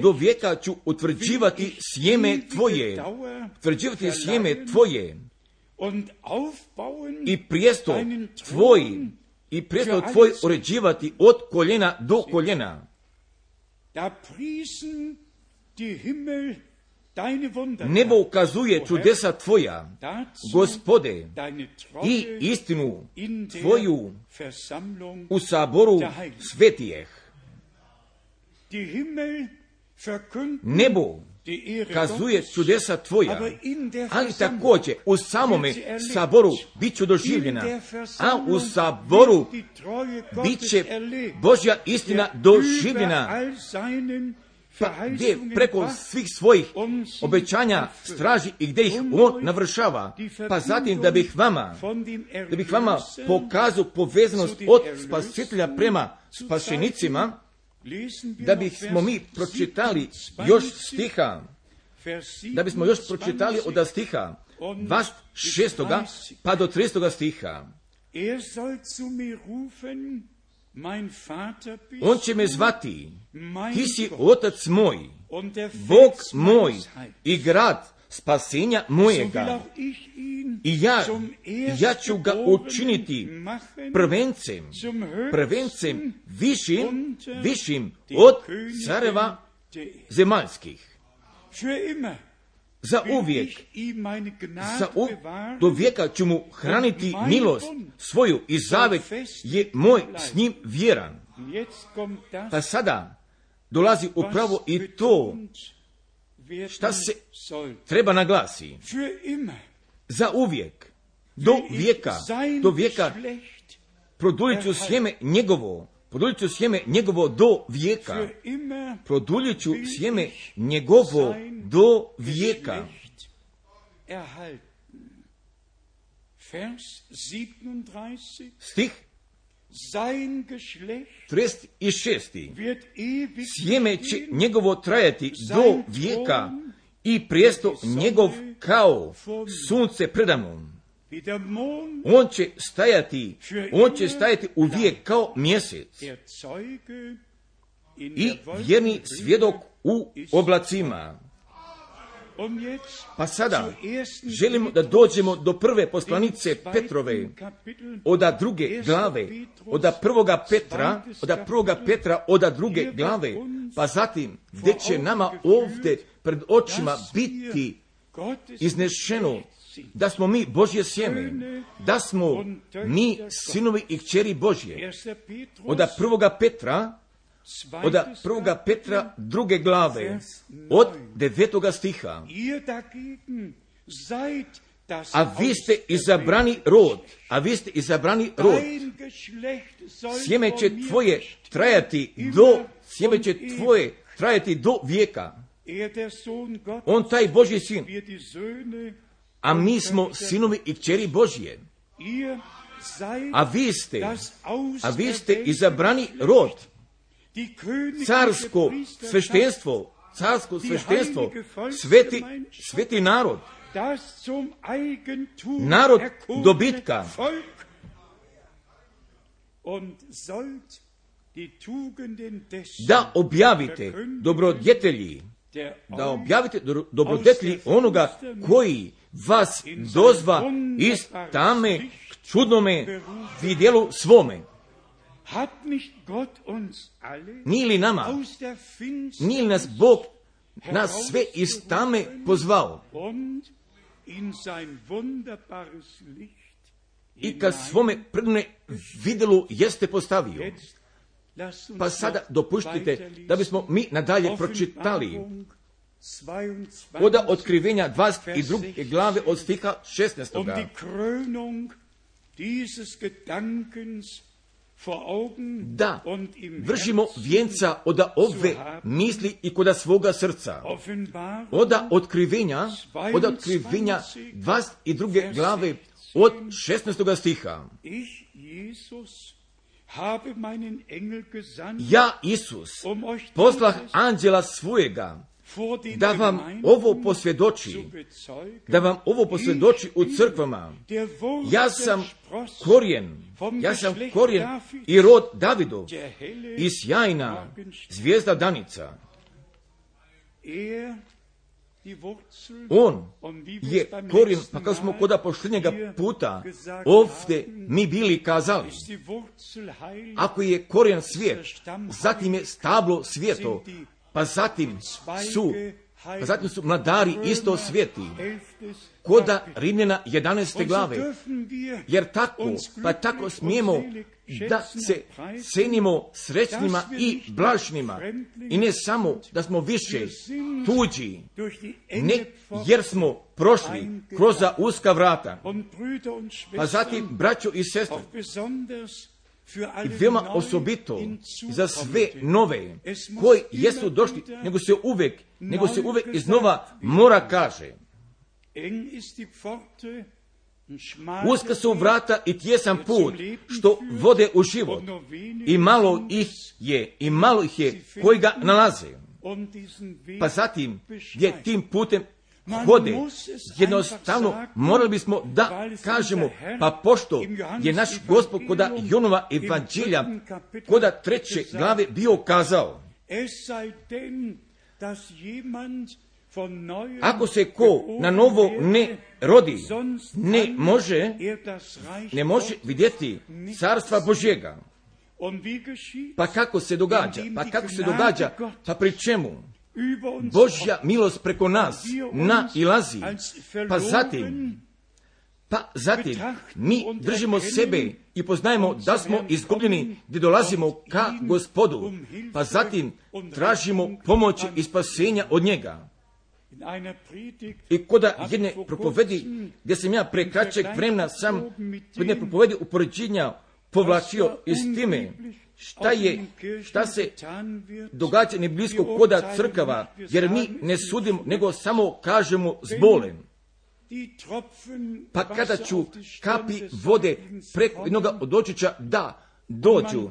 do vijeka ću utvrđivati sjeme tvoje, utvrđivati sjeme tvoje i prijestol tvoj uređivati od koljena do koljena. Nebo ukazuje čudesa tvoja, Gospode, i istinu tvoju u saboru svetijeh. Nebo kazuje čudesa tvoja, ali također u samome saboru bit ću doživljena, a u saboru bit će Božja istina doživljena, gdje preko svih svojih obećanja straži i gdje ih on navršava. Pa zatim da bih vama pokazao povezanost od spasitelja prema spašenicima, da bismo mi pročitali još stiha, da bismo još pročitali od stiha 26. pa do 30. stiha. On će me zvati, ti si otac moj, Bog moj i grad spasenja mojega. I ja ću ga učiniti prvencem višim od careva zemaljskih. Za uvijek, do vijeka ću mu hraniti milost svoju i zavet je moj s njim vjeran. Pa sada dolazi upravo i to šta se treba naglasi. Za uvijek, do vijeka produljit ću sjeme njegovo do vijeka. Produljit ću sjeme njegovo do vijeka. Stih 36. Sjeme će njegovo trajati do vijeka i prijesto njegov kao sunce predamnom. On će stajati uvijek kao mjesec i vjerni svjedok u oblacima. Pa sada želimo da dođemo do prve poslanice Petrove, od druge glave, od prvoga Petra, od druge glave, pa zatim gdje će nama ovdje pred očima biti iznešeno da smo mi Božje sjeme, da smo mi sinovi i kćeri Božje. Od prvoga Petra druge glave, od 9. stiha. A vi ste izabrani rod, sjeme će tvoje trajati do vijeka. On taj Božji sin, a mi smo sinovi i kćeri Božje. A vi ste izabrani rod, carsko sveštenstvo, sveti narod, narod dobitka. Da objavite dobrodjetelji onoga koji vas dozva iz tame k čudnome vidjelu svome. Nije li nas Bog nas sve iz tame pozvao i kad svome predne vidjelu jeste postavio? Pa sada dopuštite da bismo mi nadalje pročitali od otkrivenja 22. glave od stiha 16. Da vršimo vijenca od ove misli i kod svoga srca. Od otkrivenja 22. glave od 16. stiha. Ja, Isus, poslah anđela svojega, da vam ovo posvjedoči, u crkvama. Ja sam korijen i rod Davidov i sjajna zvijezda danica. On je korijen, pa kao smo kod posljednjega puta ovdje mi bili kazali, ako je korijen svijet, zatim je stablo svijeto, pa zatim su mladari isto svijeti, koda Rimljana 11. glave, jer tako smijemo da se cenimo srećnima i blašnima, i ne samo da smo više tuđi, ne jer smo prošli kroz uska vrata, pa zatim, braćo i sestre, i veoma osobito za sve nove koji jesu došli, nego se uvek iznova mora kaže, uska su vrata i tjesan put što vode u život, i malo ih je koji ga nalaze. Pa zatim gdje tim putem hode, jednostavno morali bismo da kažemo, pa pošto je naš Gospod koda Jonova evanđelja koda 3. glave bio kazao, ako se ko na novo ne rodi, ne može vidjeti carstva Božjega. Pa kako se događa? Pa pri čemu? Božja milost preko nas nailazi, pa zatim mi držimo sebe i poznajemo da smo izgubljeni gdje dolazimo ka Gospodu, pa zatim tražimo pomoć i spasenja od njega. I koda jedne propovedi, gdje sam ja pre kraćeg vremena sam jedne propovedi upoređenja povlačio iz time, šta se događa ne blisko koda crkava, jer mi ne sudimo, nego samo kažemo s bolem. Pa kada ću kapi vode preko jednoga od očića da dođu,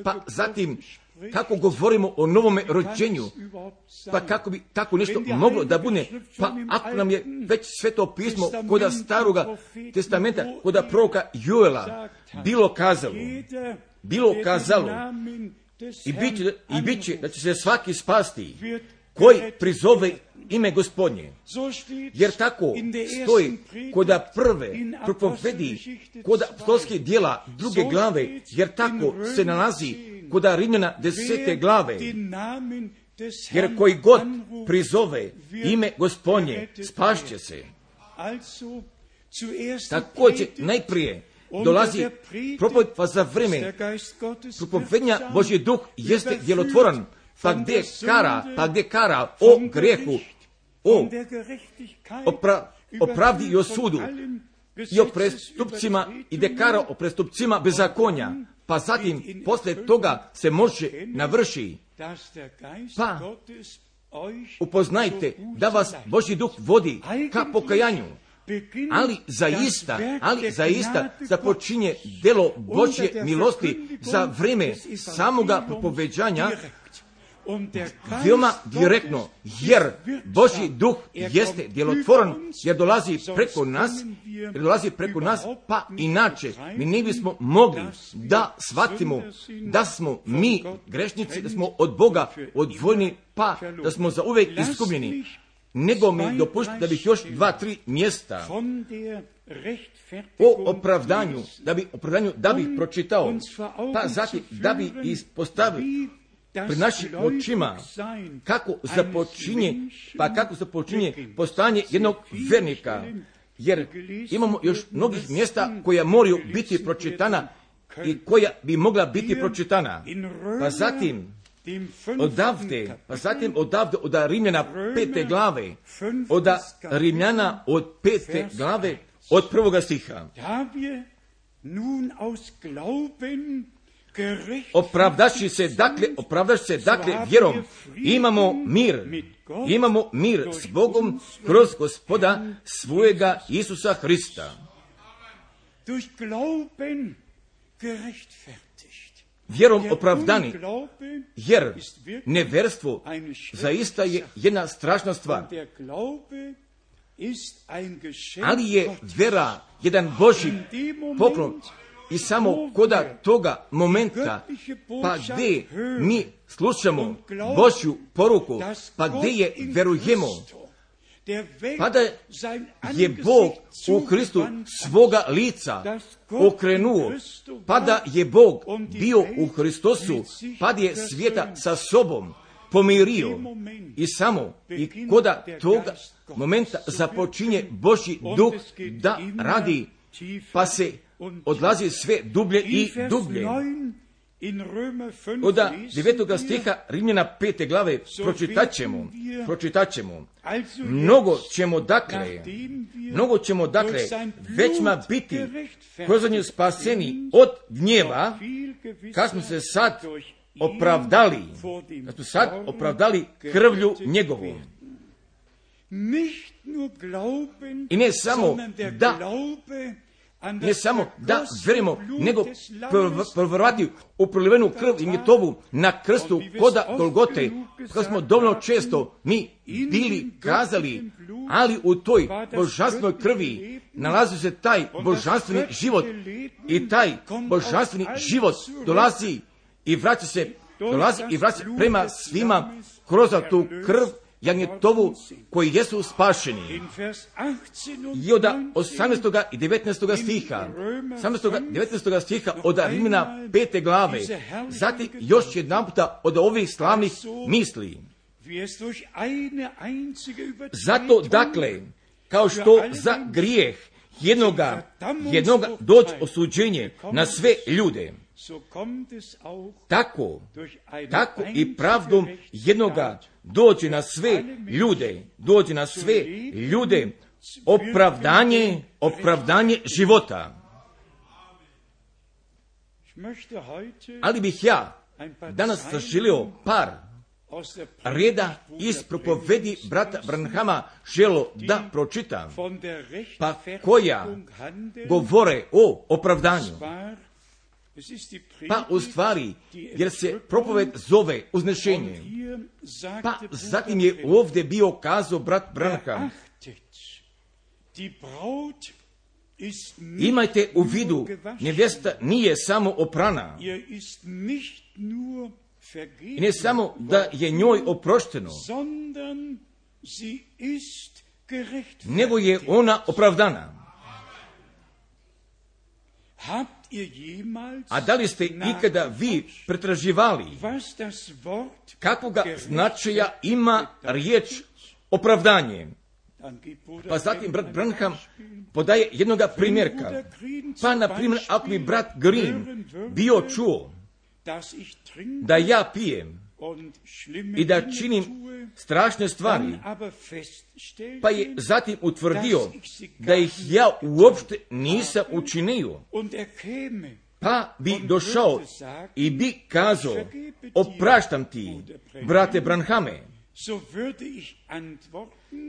pa zatim kako govorimo o novome rođenju, pa kako bi tako nešto moglo da bude, pa ako nam je već Sveto pismo koda Staroga testamenta, koda proroka Joela bilo kazalo i bit će da će se svaki spasti koji prizove ime Gospodnje. Jer tako stoji koda prve propovedi, koda apostolskih djela 2. glave, jer tako se nalazi koda Rimljana 10. glave, jer koji god prizove ime Gospodnje spašće se. Također najprije dolazi propoved, pa za vreme propovednja Božji duh jeste djelotvoran, pa gdje kara o grehu, o pravdi i o sudu, i o prestupcima, i gdje kara o prestupcima bezakonja, pa zatim posle toga se može navrši. Pa upoznajte da vas Božji duh vodi ka pokajanju, ali zaista započinje delo Božje milosti za vreme samoga propoveđanja veoma direktno, jer Božji duh jeste djelotvoran, jer dolazi preko nas, pa inače mi ne bismo mogli da shvatimo da smo mi grešnici, da smo od Boga odvojeni, pa da smo zauvek izgubljeni. Nego mi dopušti da bih još 2-3 mjesta o opravdanju da bih pročitao, pa zatim da bih ispostavio pred našim očima kako započinje postanje jednog vernika, jer imamo još mnogih mjesta koja moraju biti pročitana i koja bi mogla biti pročitana. Pa zatim odavde od Rimljana 5. glave, od 1. stiha. Opravdaši se dakle vjerom, imamo mir s Bogom kroz Gospoda svojega Isusa Hrista. vjerom opravdani, jer neverstvo zaista je jedna strašna stvar. Ali je vjera jedan Božji poklon i samo koda toga momenta, pa gdje mi slušamo Božju poruku, pa gdje je vjerujemo, pa da je Bog u Kristu svoga lica okrenuo, pa da je Bog bio u Hristosu, pa da je svijeta sa sobom pomirio i samo i koda toga momenta započinje Božji duh da radi, pa se odlazi sve dublje i dublje. Od 9. stiha Rimljana 5. glave pročitat ćemo. Mnogo ćemo dakle većma biti kroz nju spaseni od gnjeva, kad smo se sad opravdali krvlju njegovom. I ne samo da vjerujemo, nego proverovati u prolivenu krv i njetovu na krstu koda Golgote, kad smo dovoljno često mi bili kazali, ali u toj božanstvenoj krvi nalazi se taj božanstveni život i taj božanstveni život dolazi i vraća se prema svima kroz tu krv jagnjetovu koji jesu spašeni. I od 18. i 19. stiha od Rimljana 5. glave, zatim još jedan puta od ovih slavnih misli. Zato dakle, kao što za grijeh jednoga dođe osuđenje na sve ljude, tako i pravdom jednoga dođe na sve ljude opravdanje života. Ali bih ja danas zaželio par reda iz propovedi brata Branhama želo da pročitam, pa koja govore o opravdanju. Pa u stvari, jer se propoved zove uznešenje. Pa zatim je ovdje bio kazao brat Branham: imajte u vidu, nevjesta nije samo oprana. I ne samo da je njoj oprošteno, nego je ona opravdana. A da li ste ikada vi pretraživali kakvoga značaja ima riječ opravdanje? Pa zatim brat Branham podaje jednoga primjerka. Pa na primjer, ako bi brat Green bio čuo da ja pijem i da činim strašne stvari, pa je zatim utvrdio da ih ja uopšte nisam učinio, pa bi došao i bi kazao: opraštam ti, brate Branhame.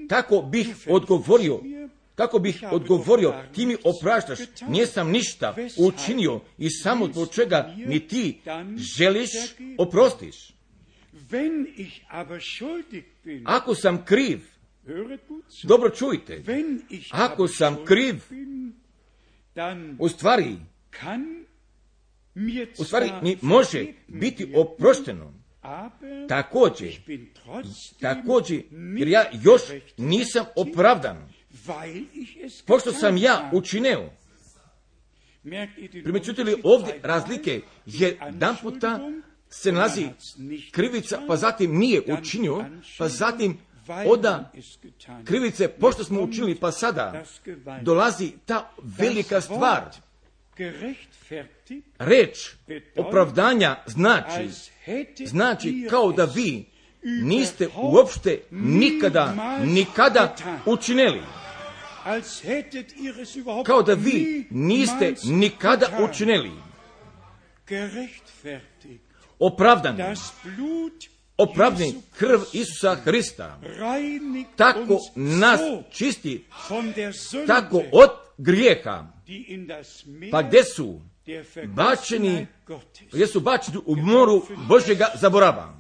Kako bih odgovorio, ti mi opraštaš, nisam ništa učinio i samo zbog čega mi ti želiš oprostiš. Ako sam kriv, dobro čujte, ako sam kriv, u stvari mi može biti oprošteno. Također, jer ja još nisam opravdan, pošto sam ja učinio. Primjećujete li ovdje razlike? Jedan puta se nalazi krivica, pa zatim nije učinio, pa zatim oda krivice, pošto smo učinili, pa sada dolazi ta velika stvar. Reč opravdanja znači kao da vi niste uopšte nikada učinili. Kao da vi niste nikada učinili. Opravdani krv Isusa Hrista tako nas čisti, tako od grijeha. Pa gdje su bačeni, jesu bačeni u moru Božjega zaborava.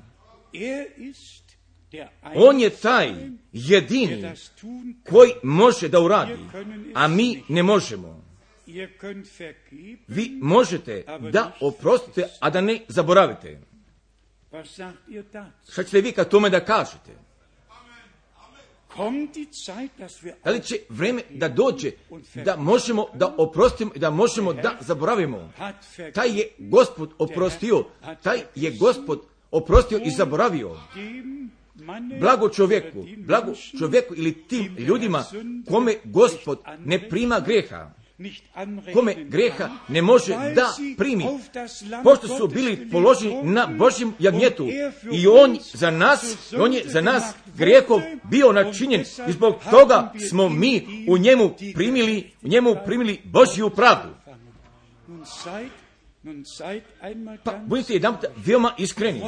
On je taj jedini koji može da uradi, a mi ne možemo. Vi možete da oprostite, a da ne zaboravite. Šta ćete vi kad tome da kažete? Da li će vreme da dođe da možemo da oprostimo i da možemo da zaboravimo? Taj je Gospod oprostio, taj je Gospod oprostio i zaboravio. Blago čovjeku ili tim ljudima kome Gospod ne prima greha, kome greha ne može da primi, pošto su bili položeni na Božjem jagnjetu i on je za nas grijehom bio načinjen i zbog toga smo mi u njemu primili Božju pravdu. Pa budite jedanput veoma iskreni.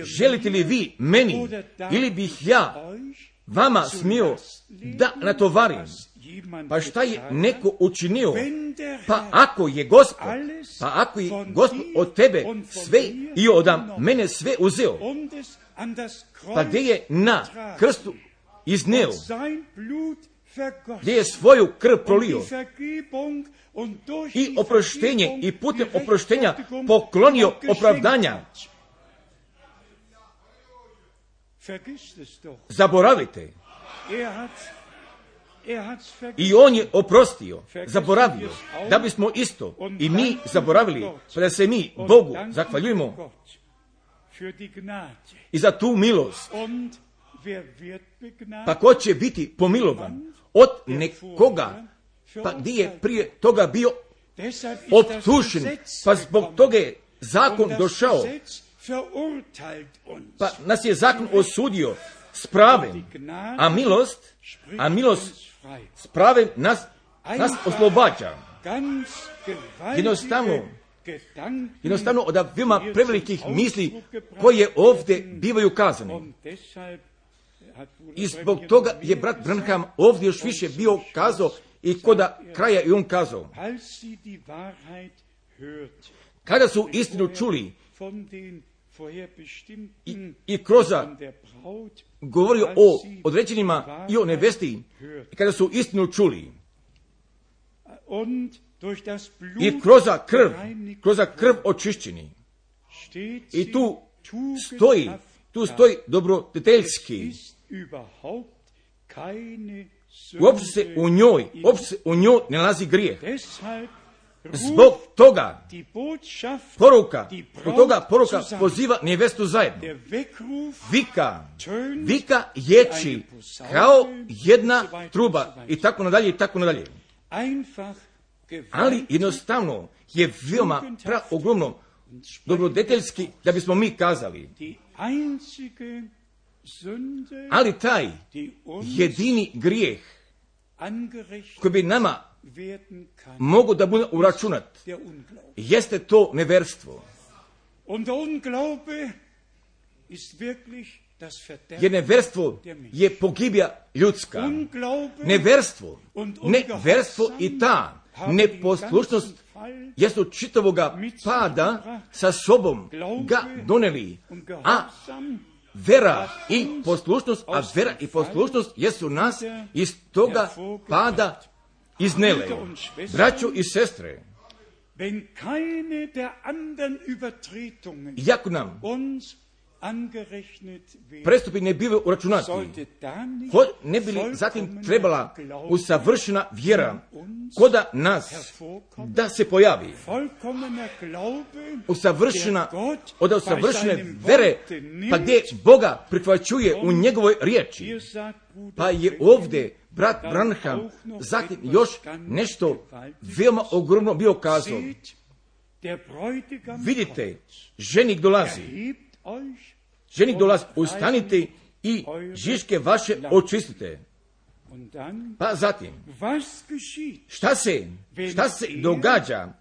Želite li vi meni ili bih ja vama smio da natovarim? Pa šta je neko učinio? Pa ako je Gospod od tebe sve i od mene sve uzeo, pa gdje je na krstu izneo, gdje je svoju krv prolio i oproštenje i putem oproštenja poklonio opravdanja. Zaboravite. I on je oprostio, zaboravio, da bismo isto i mi zaboravili, pa da se mi Bogu zahvaljujemo i za tu milost. Pa ko će biti pomilovan od nekoga, pa gdje je prije toga bio optužen, pa zbog toga je zakon došao, pa nas je zakon osudio s pravem, a milost s pravem nas oslobađa. Jednostavno od veoma prevelikih misli koje ovdje bivaju kazane. I zbog toga je brat Branham ovdje još više bio kazao i koda kraja i on kazao. Kada su istinu čuli i Kroza govorio o određenima i o nevesti, kada su istinu čuli i kroza krv očišćeni, i tu stoji dobrodeteljski, uopće se u njoj ne nalazi grijeh. Zbog toga poruka poziva nevestu zajedno. Vika ječi kao jedna truba i tako nadalje. Ali jednostavno je veoma ogromno dobrodeteljski da bismo mi kazali. Ali taj jedini grijeh koji bi nama mogu da bude uračunat, jeste to neverstvo. Jer neverstvo je pogibija ljudska. Neverstvo i ta neposlušnost jesu čitavoga pada sa sobom ga doneli, a vera i poslušnost jesu nas iz toga pada iznele. Braćo i sestre, iako nam prestupi ne bivaju uračunati, ne bi li zatim trebala usavršena vjera koda nas da se pojavi. Od usavršene vere, pa gdje Boga prihvaćuje u njegovoj riječi. Pa je ovdje brat Branham zatim još nešto veoma ogromno bio kazao. Vidite, ženik dolazi, ustanite i žiške vaše očistite. Pa zatim, šta se događa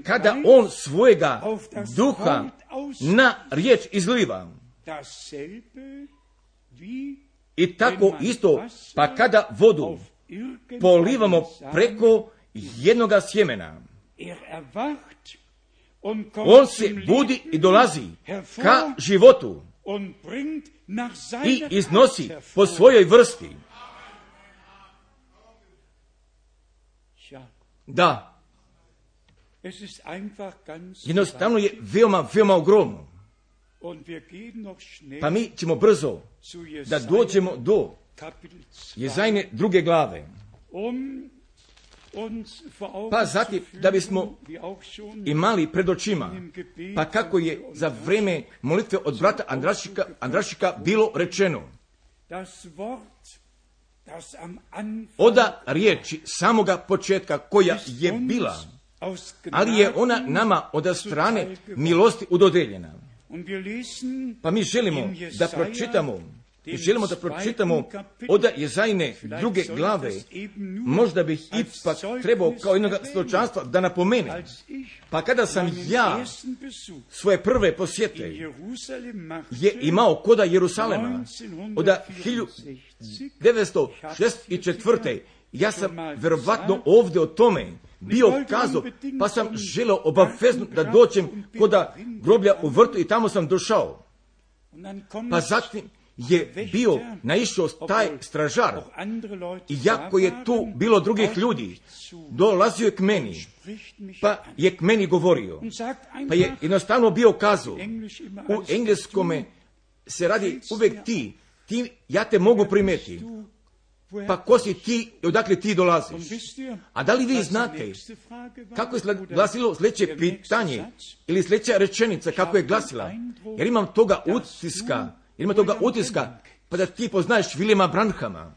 kada on svojega duha na riječ izliva? I tako isto, pa kada vodu polivamo preko jednoga sjemena, On se budi i dolazi ka životu i iznosi po svojoj vrsti. Da, jednostavno je veoma, veoma ogromno. Pa mi ćemo brzo da dođemo do Jezajne 2. glave. Pa zatim, da bismo imali pred očima, pa kako je za vreme molitve od brata Andrašika bilo rečeno, oda riječi samoga početka koja je bila, ali je ona nama od strane milosti udodeljena. Pa mi želimo da pročitamo od Jezajne 2. glave. Možda bih ipak trebao kao jednog svjedočanstva da napomenem. Pa kada sam ja svoje prve posjete je imao koda Jerusalema od 1964. Ja sam verovatno ovdje o tome bio kazao, pa sam želeo obavezno da dođem koda groblja u vrtu i tamo sam došao. Pa zatim je bio naišao taj stražar i jako je tu bilo drugih ljudi, dolazio je k meni, pa je k meni govorio, pa je jednostavno bio kazao, u engleskome se radi uvijek ti, ja te mogu primeti, pa ko si ti i odakle ti dolaziš? A da li vi znate kako je glasilo sljedeće pitanje ili sljedeća rečenica kako je glasila? Jer imam toga utiska, pa da ti poznaješ Williama Branhama.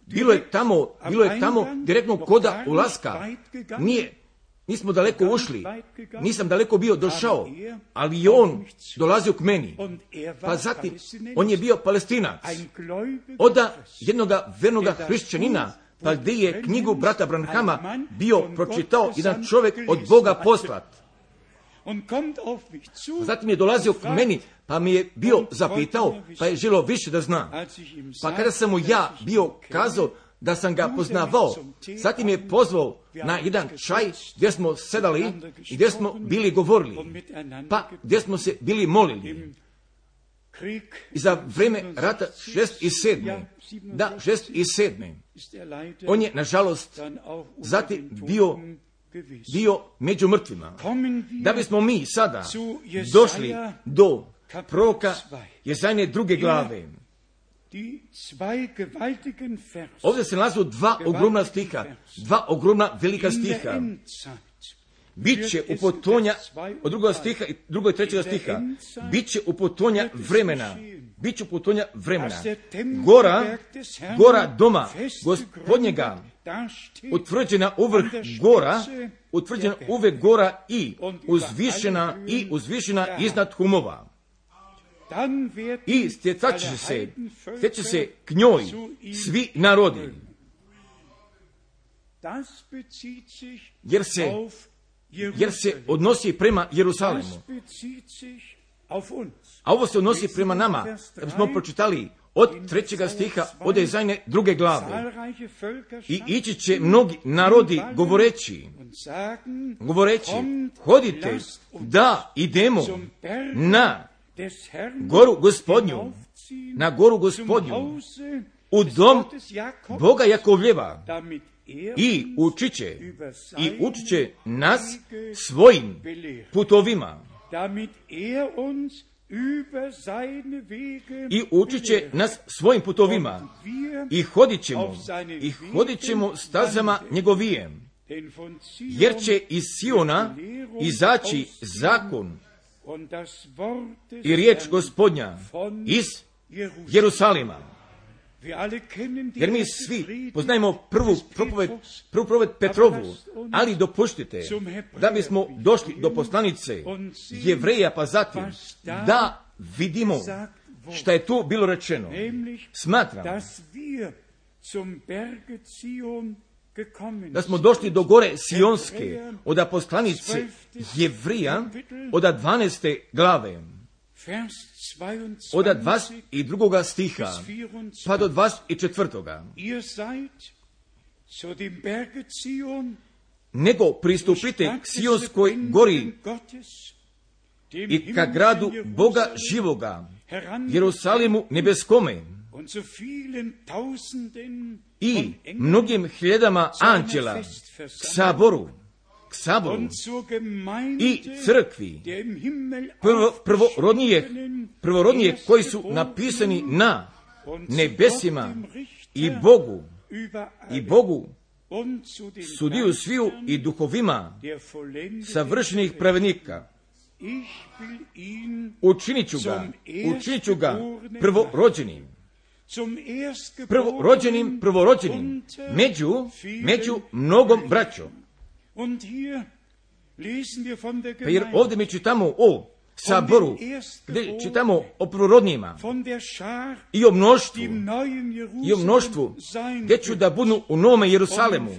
Bilo je tamo direktno koda ulaska. Nismo daleko ušli, nisam daleko bio došao, ali je on dolazio k meni. Pa zatim, on je bio Palestinac. Od jednoga vernoga hrišćanina, pa gdje je knjigu brata Branhama bio pročitao jedan čovjek od Boga poslat. Zatim je dolazio k meni, pa mi je bio zapitao, pa je želio više da zna. Pa kada sam mu ja bio kazao da sam ga poznavao, zatim je pozvao na jedan čaj gdje smo sedali i gdje smo bili govorili, pa gdje smo se bili molili. I za vreme rata 6. On je, nažalost, zatim bio među mrtvima. Da bismo mi sada došli do proroka Jezajne 2. glave. Ovdje se nalazu dva ogromna velika stiha. Biće upotonja od 2. stiha i 2. i 3. stiha. Biće upotonja vremena. Gora doma Gospodnjega, utvrđena uvrh gora i uzvišena iznad humova. I stječe se k njoj svi narodi. Jer se odnosi prema Jerusalemu. A ovo se odnosi prema nama. Da bismo pročitali od 3. stiha od Jezajne 2. glave. I ići će mnogi narodi govoreći, hodite da idemo na goru Gospodnju, u dom Boga Jakovljeva, i učit će nas svojim putovima. I hodit ćemo stazama njegovijem. Jer će iz Siona izaći zakon i riječ Gospodnja iz Jerusalima. Jer mi svi poznajemo prvu propoved Petrovu, ali dopuštite da bismo došli do poslanice Jevreja, pa zatim da vidimo šta je tu bilo rečeno. Smatram da smo došli do gore Sionske od poslanice Jevrija od 12. glave. Od 22. stiha pa do 24. nego pristupite k Sionskoj gori i ka gradu Boga živoga, Jerusalimu nebeskome i mnogim hiljadama anđela k saboru i crkvi prvorodnije koji su napisani na nebesima i Bogu sudiju sviju i duhovima savršenih pravednika. Učinit ću ga prvorođenim među mnogom braćom. Pa jer ovdje mi čitamo o saboru, gdje čitamo o prvorodnijima i o mnoštvu, gdje ću da budu u Novome Jerusalemu.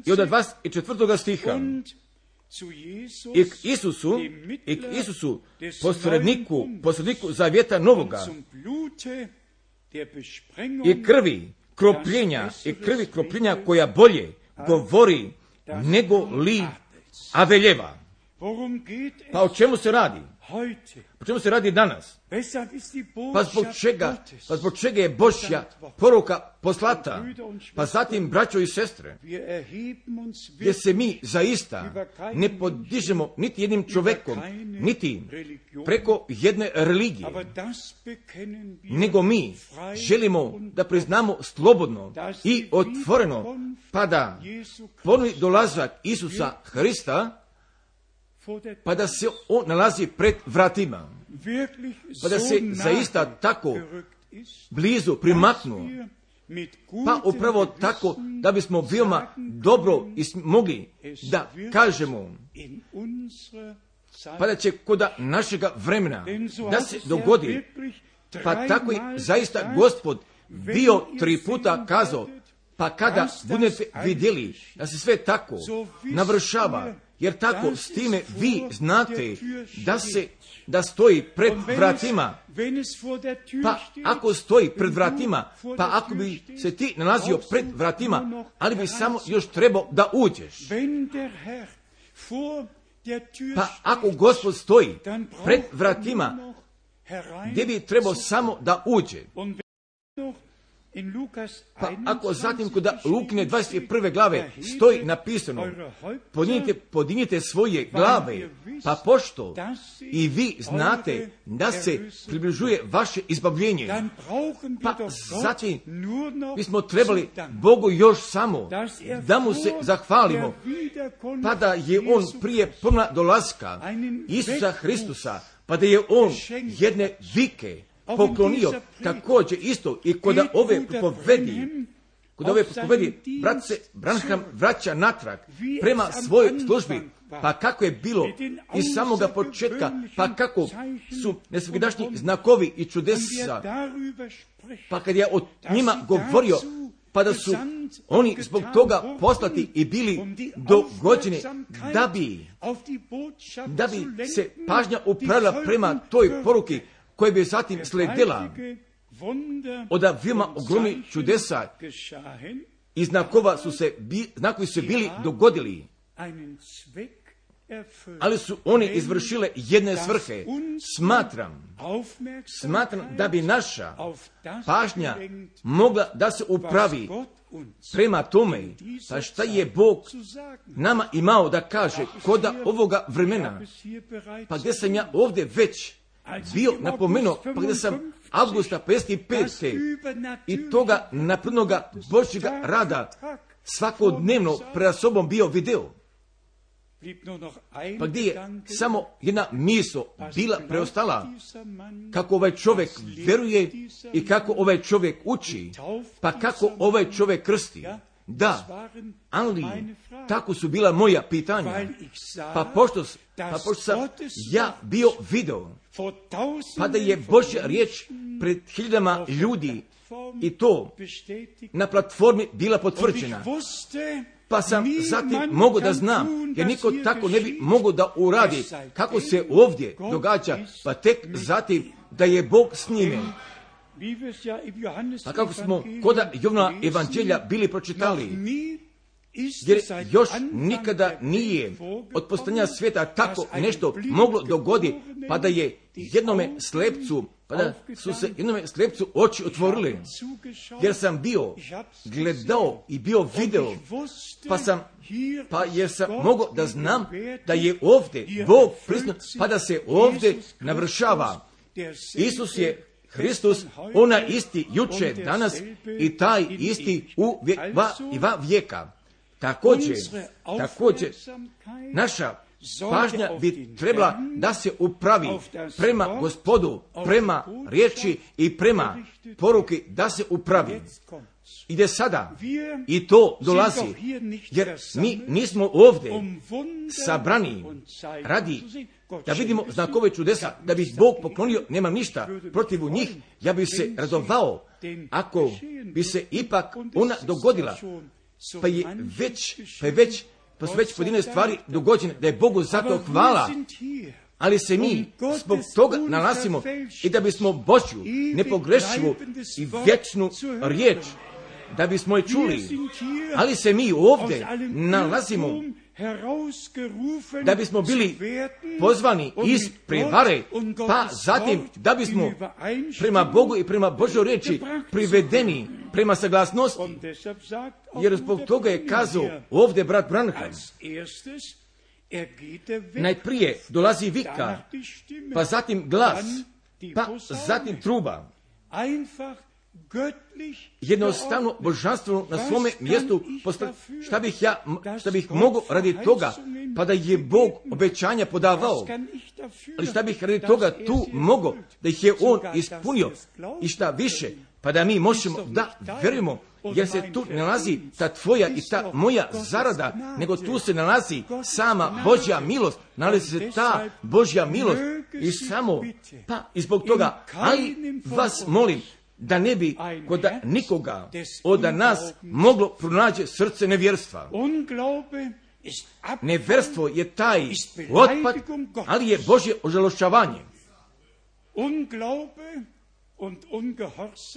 I od 24. stiha i k Isusu posredniku zavjeta novoga i krvi kropljenja koja bolje govori nego li Aveljeva. Pa o čemu se radi? O čemu se radi danas? Pa zbog čega je Božja poruka poslata? Pa zatim, braćo i sestre, gdje se mi zaista ne podižemo niti jednim čovekom, niti preko jedne religije, nego mi želimo da priznamo slobodno i otvoreno, pa da ponovi dolazak Isusa Hrista, pa da se on nalazi pred vratima, pa da se zaista tako blizu primaknuo, pa upravo tako da bismo veoma dobro mogli da kažemo, pa da će kod našega vremena da se dogodi, pa tako i zaista Gospod bio 3 puta kazao, pa kada budete vidjeli da se sve tako navršava, jer tako s time vi znate da stoji pred vratima. Pa ako stoji pred vratima, pa ako bi se ti nalazio pred vratima, ali bi samo još trebao da uđeš. Pa ako Gospod stoji pred vratima, gdje bi trebao samo da uđe. Pa ako zatim kod Lukine 21. glave stoji napisano, podignite svoje glave, pa pošto i vi znate da se približuje vaše izbavljenje, pa zatim bismo trebali Bogu još samo da mu se zahvalimo, pa da je on prije ponovna dolaska Isusa Hristusa, pa da je on jedne vike poklonio također isto i kod ove propovedi, brat se Branham vraća natrag prema svojoj službi, pa kako je bilo iz samoga početka, pa kako su nesvakidašnji znakovi i čudesa, pa kad je o njima govorio, pa da su oni zbog toga poslati i bili dogođeni da bi se pažnja upravila prema toj poruki koja bi zatim sledila od veoma ogromnih čudesa i znakovi su bili dogodili, ali su oni izvršile jedne svrhe. Smatram da bi naša pažnja mogla da se upravi prema tome, pa šta je Bog nama imao da kaže kod ovoga vremena, pa gdje sam ja ovdje već bio napomenuo, pa gdje sam avgusta 55. i toga naprednoga Božjega rada svakodnevno pred sobom bio video, pa gdje je samo jedna misao bila preostala, kako ovaj čovjek veruje i kako ovaj čovjek uči, pa kako ovaj čovjek krsti. Da, ali tako su bila moja pitanja, pa pošto sam ja bio video, pa da je Božja riječ pred hiljadama ljudi i to na platformi bila potvrđena, pa sam zatim mogao da znam, jer niko tako ne bi mogao da uradi kako se ovdje događa, pa tek zatim da je Bog s njime. Pa kako smo kod Jovana evanđelja bili pročitali, jer još nikada nije od postojanja svijeta tako nešto moglo dogoditi, pa da je jednome slepcu, pa da su se jednome slepcu oči otvorile, jer sam bio gledao i bio video, jer sam mogao da znam da je ovdje Bog prisutan, pa da se ovdje navršava. Isus je Hristos, ona isti juče, danas i taj isti u vijeka. Također, naša pažnja bi trebala da se upravi prema Gospodu, prema riječi i prema poruki, da se upravi. Ide sada i to dolazi, jer mi nismo ovdje sabrani radi da vidimo znakove čudesa, da bi Bog poklonio, nemam ništa protiv njih, ja bi se radovao ako bi se ipak ona dogodila, pa su već pojedine stvari dogođene, da je Bogu za to hvala, ali se mi zbog toga nalazimo i da bismo Božju nepogrešivu i vječnu riječ, da bismo je čuli, ali se mi ovdje nalazimo da bismo bili pozvani iz prevare, pa zatim da bismo prema Bogu i prema Božoj riječi privedeni prema saglasnosti, jer zbog toga je kazao ovdje brat Branham, najprije dolazi vika, pa zatim glas, pa zatim truba. Jednostavno božanstvo na svome mjestu. Šta bih mogao radi toga, pa da je Bog obećanja podavao, ali šta bih radi toga tu mogao, da ih je On ispunio, i šta više, pa da mi možemo da vjerujemo, jer se tu ne nalazi ta tvoja i ta moja zarada, nego tu se nalazi sama Božja milost, nalazi se ta Božja milost i samo, pa i zbog toga, ali vas molim, da ne bi kod nikoga od nas moglo pronaći srce nevjerstva. Nevjerstvo je taj otpad, ali je Božje ožalošćavanje.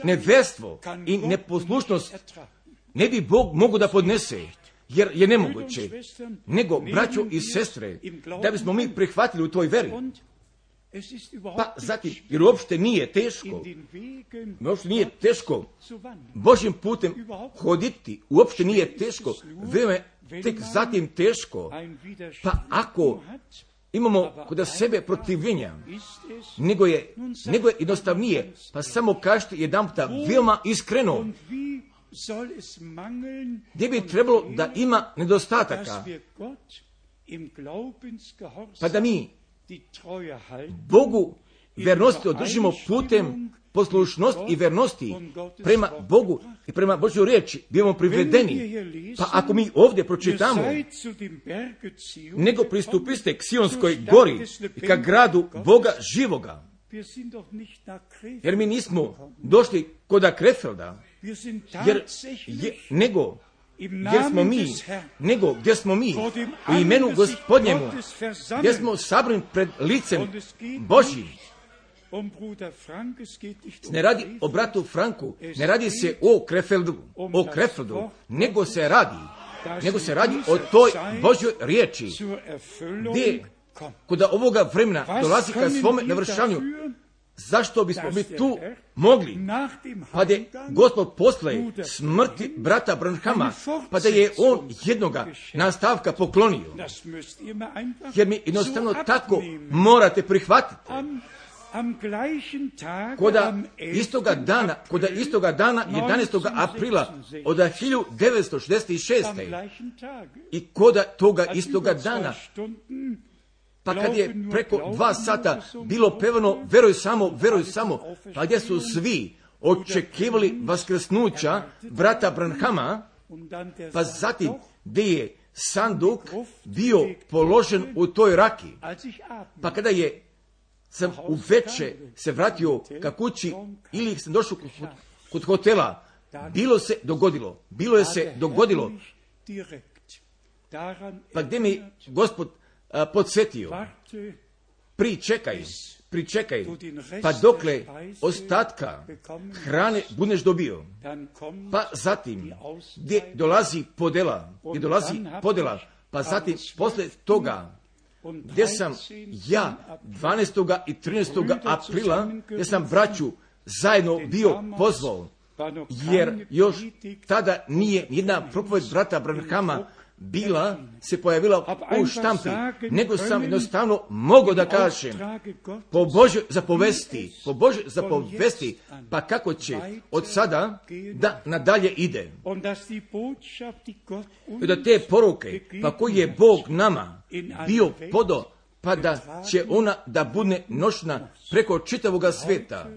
Nevjerstvo i neposlušnost ne bi Bog mogao da podnese, jer je nemoguće. Nego, braćo i sestre, da bismo mi prihvatili u toj veri, pa zatim, jer uopšte nije teško Božjim putem hoditi, uopšte nije teško, vrijeme tek zatim teško, pa ako imamo kod sebe protivljenja, nego je jednostavnije, pa samo kažete jedan puta veoma iskreno, gdje bi trebalo da ima nedostataka, pa da mi Bogu vernosti održimo putem poslušnosti i vernosti prema Bogu i prema Božjoj riječi, bivamo privedeni. Pa ako mi ovdje pročitamo, nego pristupiste k Sionskoj gori i ka gradu Boga živoga, jer mi nismo došli kod Krefelda, gdje smo mi u imenu Gospodnjemu, gdje smo sabrani pred licem Božjim. Ne radi o bratu Franku, ne radi se o Krefeldu, nego se radi o toj Božjoj riječi, gdje kod ovoga vremena dolazi ka svome navršavanju. Zašto bismo mi tu mogli, pa da je Gospod posle smrti brata Branhama, pa da je on jednoga nastavka poklonio, jer mi jednostavno tako morate prihvatiti. Koda istoga dana 11. aprila od 1966. i koda toga istoga dana, pa kad je preko 2 sata bilo pevano veruj samo, pa gdje su svi očekivali vaskrsnuća brata Branhama, pa zatim gdje je sanduk bio položen u toj raki, pa kada sam u veče se vratio ka kući ili sam došao kod hotela, bilo je se dogodilo, pa gdje mi Gospod podsjetio, pričekaj, pa dokle ostatka hrane budeš dobio, pa zatim gdje dolazi podela, pa zatim posle toga gdje sam ja 12. i 13. aprila, gdje sam braću zajedno bio pozvao, jer još tada nije jedna propoved brata Branhama se pojavila u štampi, nego sam jednostavno mogao da kažem po Božoj zapovesti, pa kako će od sada da nadalje ide. I da te poruke, pa koji je Bog nama bio podao, pa da će ona da bude nošna preko čitavoga sveta.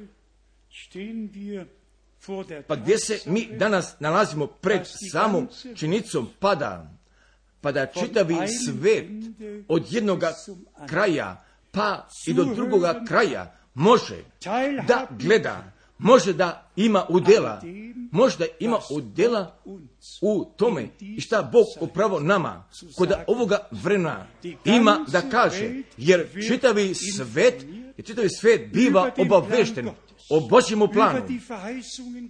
Pa gdje se mi danas nalazimo pred samom činjenicom pa da čitavi svet od jednoga kraja pa i do drugoga kraja može da gleda, može da ima udjela, u tome i šta Bog upravo nama kod ovoga vremena ima da kaže, jer čitavi svet biva obavešten o Božjem planu,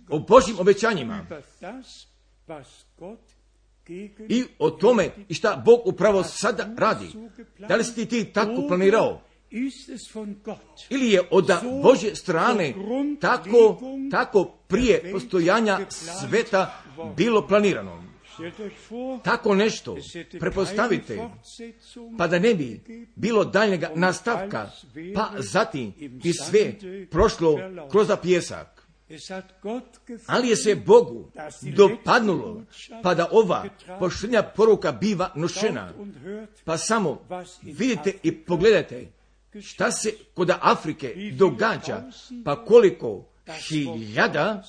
o Božjim obećanjima i o tome i šta Bog upravo sada radi. Da li si ti tako planirao? Ili je od Božje strane tako prije postojanja sveta bilo planirano? Tako nešto prepostavite, pa da ne bi bilo daljnjega nastavka, pa zatim bi sve prošlo kroz pijesak. Ali je se Bogu dopadnulo, pa da ova poštenja poruka biva nošena. Pa samo vidite i pogledajte šta se kod Afrike događa, pa koliko hiljada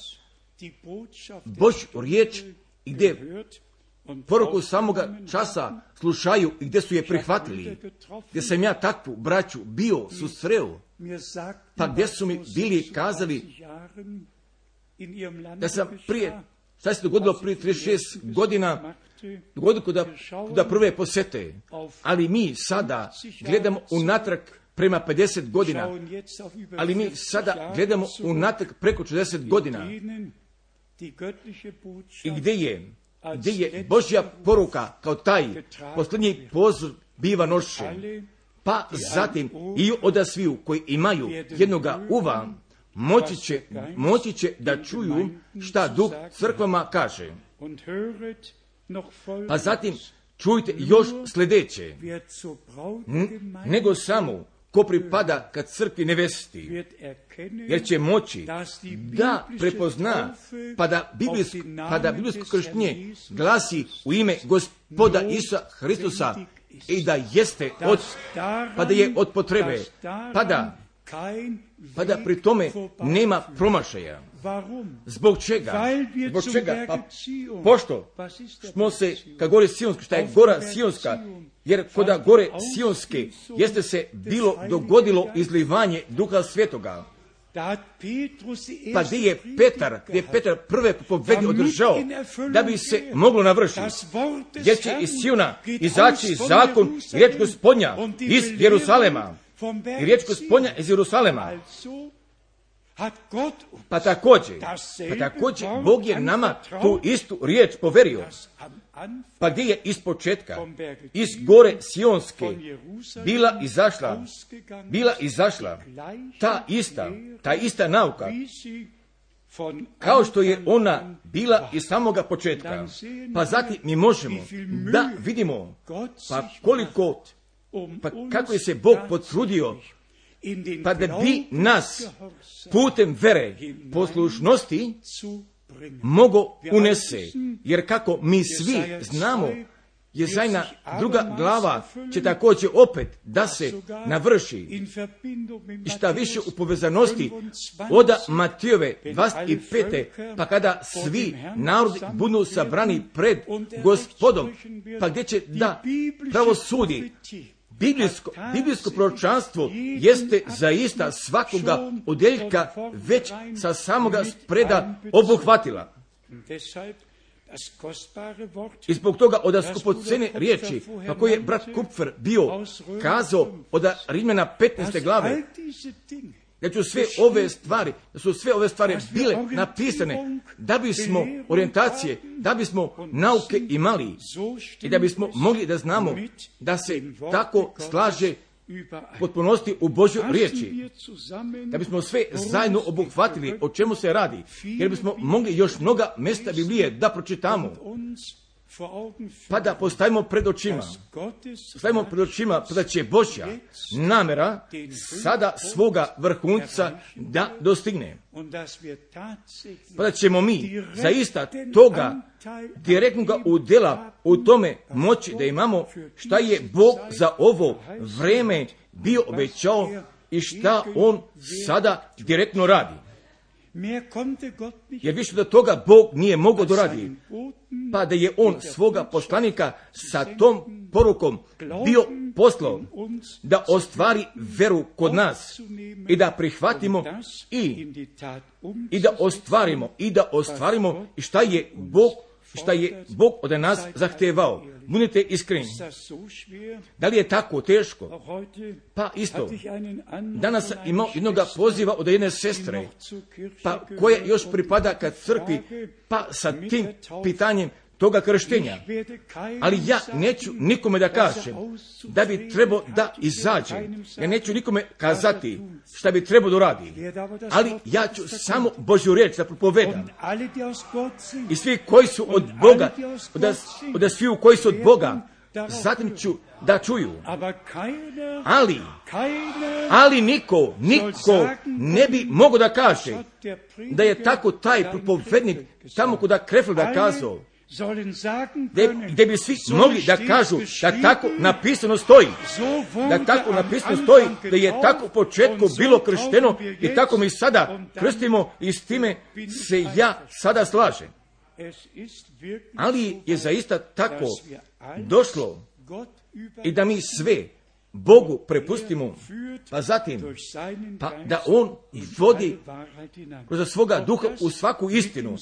Božju riječ i gdje poruku samoga časa slušaju i gdje su je prihvatili, gdje sam ja takvu braću bio susreo, pa gdje su mi bili kazali da sam šta se dogodilo prije 36 godina, dogodilo kod prve posete, ali mi sada gledamo unatrag prema 50 godina, ali mi sada gledamo unatrag preko 40 godina. I gdje je Božja poruka kao taj posljednji pozor biva nošen, pa zatim i od sviju koji imaju jednoga uva moći će da čuju šta Duh crkvama kaže. Pa zatim čujte još sljedeće, nego samo ko pripada kad crkvi nevesti, jer će moći da prepozna, pa da biblijsko krštenje glasi u ime Gospoda Isusa Hristusa i da jeste pa da je od potrebe, pa da pri tome nema promašaja. Zbog čega? Pa pošto smo se, kad gore Sionska, šta je gora Sionska, jer kod gore Sionske jeste se dogodilo izlivanje Duha Svetoga. Pa gdje je Petar prve propovedi održao da bi se moglo navršiti, jer će iz Siona izaći zakon i riječ Gospodnja iz Jerusalema. I riječ Gospodnja iz Jerusalema. Pa također Bog je nama tu istu riječ poverio. Pa gdje je iz početka, iz gore Sionske bila izašla ta ista nauka, kao što je ona bila iz samoga početka. Pa zatim mi možemo da vidimo kako je se Bog potrudio, pa da bi nas putem vere poslušnosti mogo unese, jer kako mi svi znamo, Jezajna 2. glava će također opet da se navrši. I šta više u povezanosti od Matijove 25. pa kada svi narodi budu sabrani pred Gospodom, pa gdje će da pravosudi. Biblijsko proročanstvo jeste zaista svakoga odjeljka već sa samoga spreda obuhvatila. I zbog toga od skupocene riječi, pa koji je brat Kupfer bio kazao od Rimljana 15. glave, da su sve ove stvari bile napisane da bismo orijentacije, da bismo nauke imali i da bismo mogli da znamo da se tako slaže potpunosti u Božjoj riječi, da bismo sve zajedno obuhvatili o čemu se radi, jer bismo mogli još mnoga mjesta Biblije da pročitamo, pa da postavimo pred očima, da će Božja namjera sada svoga vrhunca da dostigne, pa da ćemo mi zaista toga direktnoga udjela u tome moći da imamo šta je Bog za ovo vreme bio obećao i šta On sada direktno radi. Jer više do toga Bog nije mogao doradi, pa da je On svoga poslanika sa tom porukom bio poslao da ostvari veru kod nas i da prihvatimo i da ostvarimo i šta je Bog od nas zahtevao. Budite iskreni. Da li je tako teško? Pa isto. Danas sam imao jednog poziva od jedne sestre, pa koja još pripada ka crkvi, pa sa tim pitanjem toga krštenja. Ali ja neću nikome da kažem da bi trebao da izađe. Ja neću nikome kazati šta bi trebao da radi. Ali ja ću samo Božju riječ da propovedam. I svi koji su od Boga, od sviju koji su od Boga, zatim ću da čuju. Ali niko ne bi mogao da kaže da je tako taj propovednik tamo kuda Krefelda kazao, gdje bi svi mogli da kažu da tako napisano stoji, da je tako u početku bilo kršteno i tako mi sada krstimo i s time se ja sada slažem. Ali je zaista tako došlo i da mi sve Bogu prepustimo, pa zatim da On vodi kroz svoga duha u svaku istinu.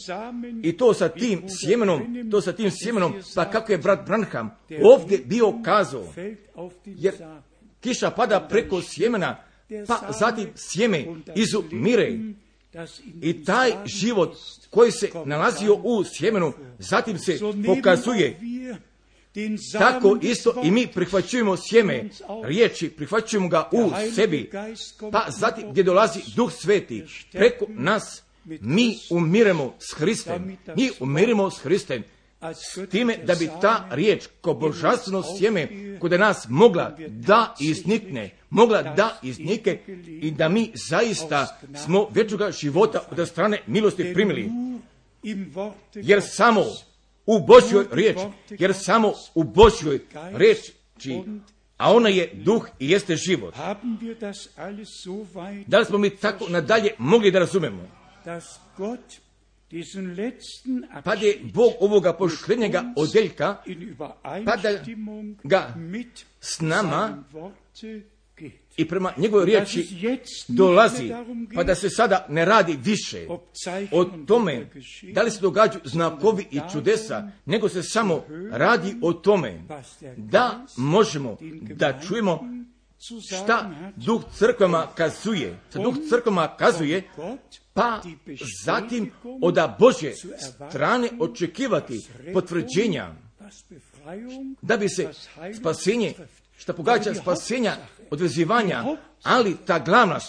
I to sa tim sjemenom, pa kako je brat Branham ovdje bio kazao, jer kiša pada preko sjemena, pa zatim sjeme izumire. I taj život koji se nalazio u sjemenu, zatim se pokazuje. Tako isto i mi prihvaćujemo sjeme riječi, prihvaćujemo ga u sebi, pa zatim gdje dolazi Duh Sveti preko nas, mi umiremo s Hristem, s time da bi ta riječ kao božanstveno sjeme kod nas mogla da iznikne i da mi zaista smo vječnoga života od strane milosti primili, jer samo u Božjoj riječi, a ona je duh i jeste život. Da li smo mi tako nadalje mogli da razumemo? Pa da je Bog ovoga pošljenjega odjeljka, pa da ga s nama i prema njegovoj riječi dolazi, pa da se sada ne radi više o tome da li se događaju znakovi i čudesa, nego se samo radi o tome da možemo da čujemo šta Duh crkvama kazuje, pa zatim od Božje strane očekivati potvrđenja da bi se spasenje, šta pogađa spasenja, odvezivanja, ali ta glavna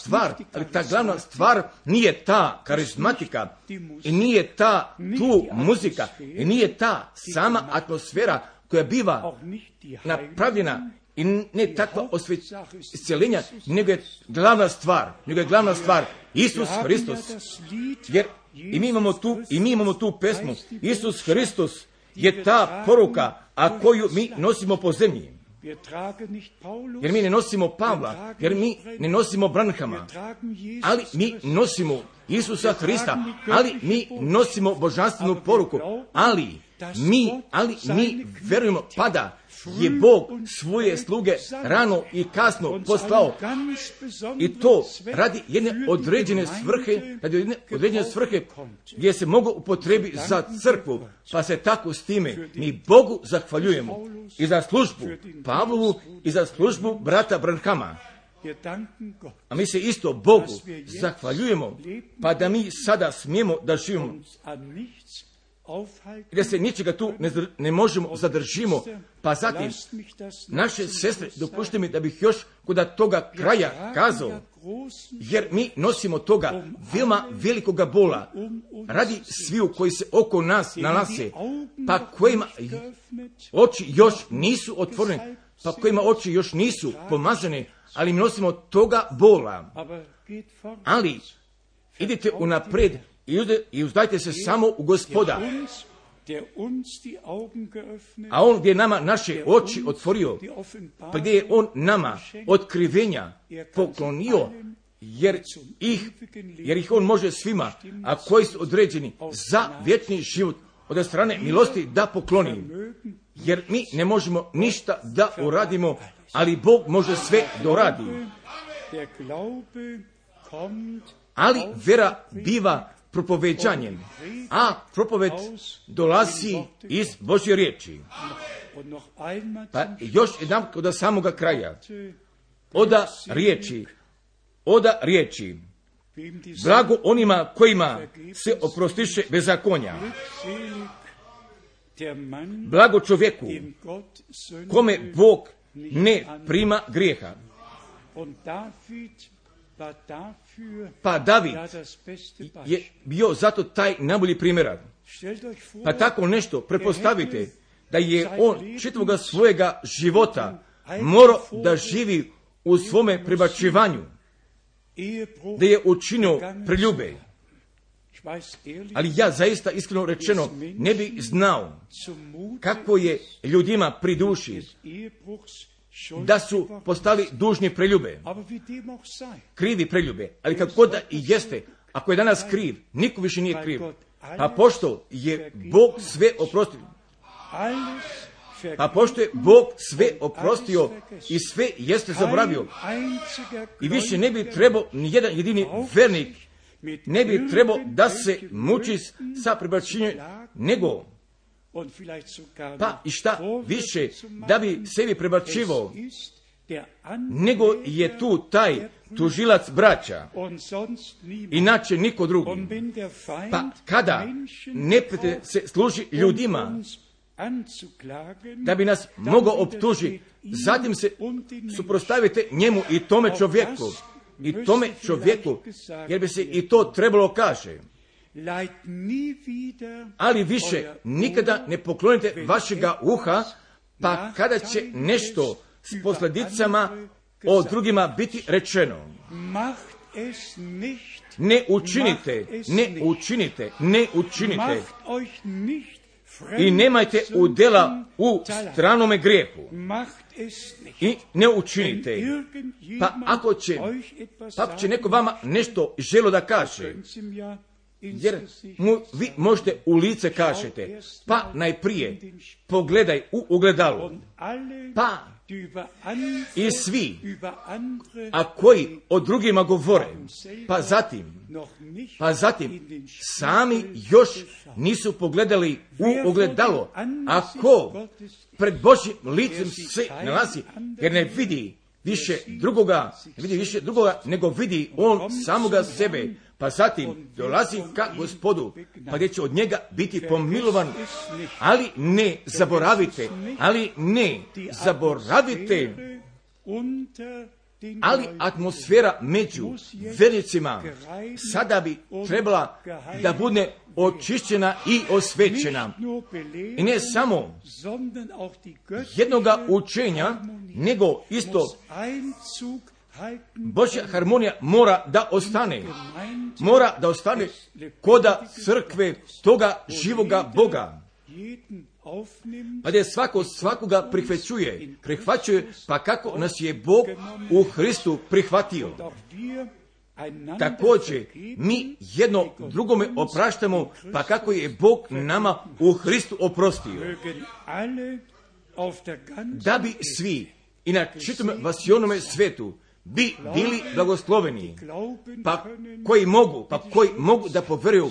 stvar nije ta karizmatika, i nije ta tu muzika, i nije ta sama atmosfera koja biva napravljena, i ne takva isceljenja, nego je glavna stvar Isus Hristos. Jer i mi imamo tu pesmu, Isus Hristos je ta poruka, a koju mi nosimo po zemlji. Jer mi ne nosimo Pavla, jer mi ne nosimo Branhama, ali mi nosimo Isusa Hrista, ali mi nosimo božanstvenu poruku, ali mi verujemo da je Bog svoje sluge rano i kasno poslao, i to radi jedne određene svrhe, gdje se mogu upotrebi za crkvu, pa se tako s time mi Bogu zahvaljujemo i za službu Pavlovu i za službu brata Branhama. A mi se isto Bogu zahvaljujemo, pa da mi sada smijemo da živimo, i da se ničega tu ne možemo zadržimo. Pa zatim, naše sestre, dopustite mi da bih još kod toga kraja kazao, jer mi nosimo toga veoma velikoga bola radi sviju koji se oko nas nalaze, pa kojima oči još nisu otvorene, pa kojima oči još nisu pomazane, ali mi nosimo toga bola. Ali idite unapred i uzdajte se samo u Gospoda. A On gdje je nama naše oči otvorio, pa gdje je On nama otkrivenja poklonio, jer ih On može svima, a koji su određeni za vječni život od strane milosti da pokloni. Jer mi ne možemo ništa da uradimo, ali Bog može sve da uradi. Ali vera biva propoveđanjem, a propoved dolazi iz Božje riječi. Pa još jedan od samoga kraja. Oda riječi. Blago onima kojima se oprostiše bezakonja. Blago čovjeku kome Bog ne prima grijeha. Pa David je bio zato taj najbolji primjerak. Pa tako nešto pretpostavite da je on čitavoga svojega života morao da živi u svome prebačivanju, da je učinio preljube. Ali ja zaista iskreno rečeno ne bih znao kako je ljudima pri duši da su postali dužni preljube, krivi preljube. Ali kako god da i jeste, ako je danas kriv, niko više nije kriv. Pa pošto je Bog sve oprostio, i sve jeste zaboravio, i više ne bi trebao ni jedan jedini vernik, ne bi trebao da se muči sa prebačenjem, nego pa i šta više da bi sebi prebačivao, nego je tu taj tužilac braća, inače niko drugi. Pa kada neprijatelj se služi ljudima da bi nas mogao optužiti, zatim se suprotstavite njemu i tome čovjeku, jer bi se i to trebalo kaže. Ali više nikada ne poklonite vašega uha, pa kada će nešto s posljedicama o drugima biti rečeno. Ne učinite. I nemajte udjela u stranome grijehu. I ne učinite. Pa ako će neko vama nešto želo da kaže, jer vi možete u lice kažete, pa najprije pogledaj u ogledalo, pa i svi, a koji o drugima govore, pa zatim sami još nisu pogledali u ogledalo, ako pred Božjim licem se nalazi, jer ne vidi više drugoga, nego vidi on samoga sebe. Pa zatim dolazi ka Gospodu, pa gdje će od njega biti pomilovan. Ali ne zaboravite, ali atmosfera među vernicima sada bi trebala da bude očišćena i osvećena. I ne samo jednoga učenja, nego isto Božja harmonija mora da ostane koda crkve toga živoga Boga. Pa da svakoga prihvaćuje, pa kako nas je Bog u Hristu prihvatio. također mi jedno drugome opraštamo, pa kako je Bog nama u Hristu oprostio. Da bi svi i na čitavom vasionome svetu bi bili blagosloveni, pa koji mogu da povjeruju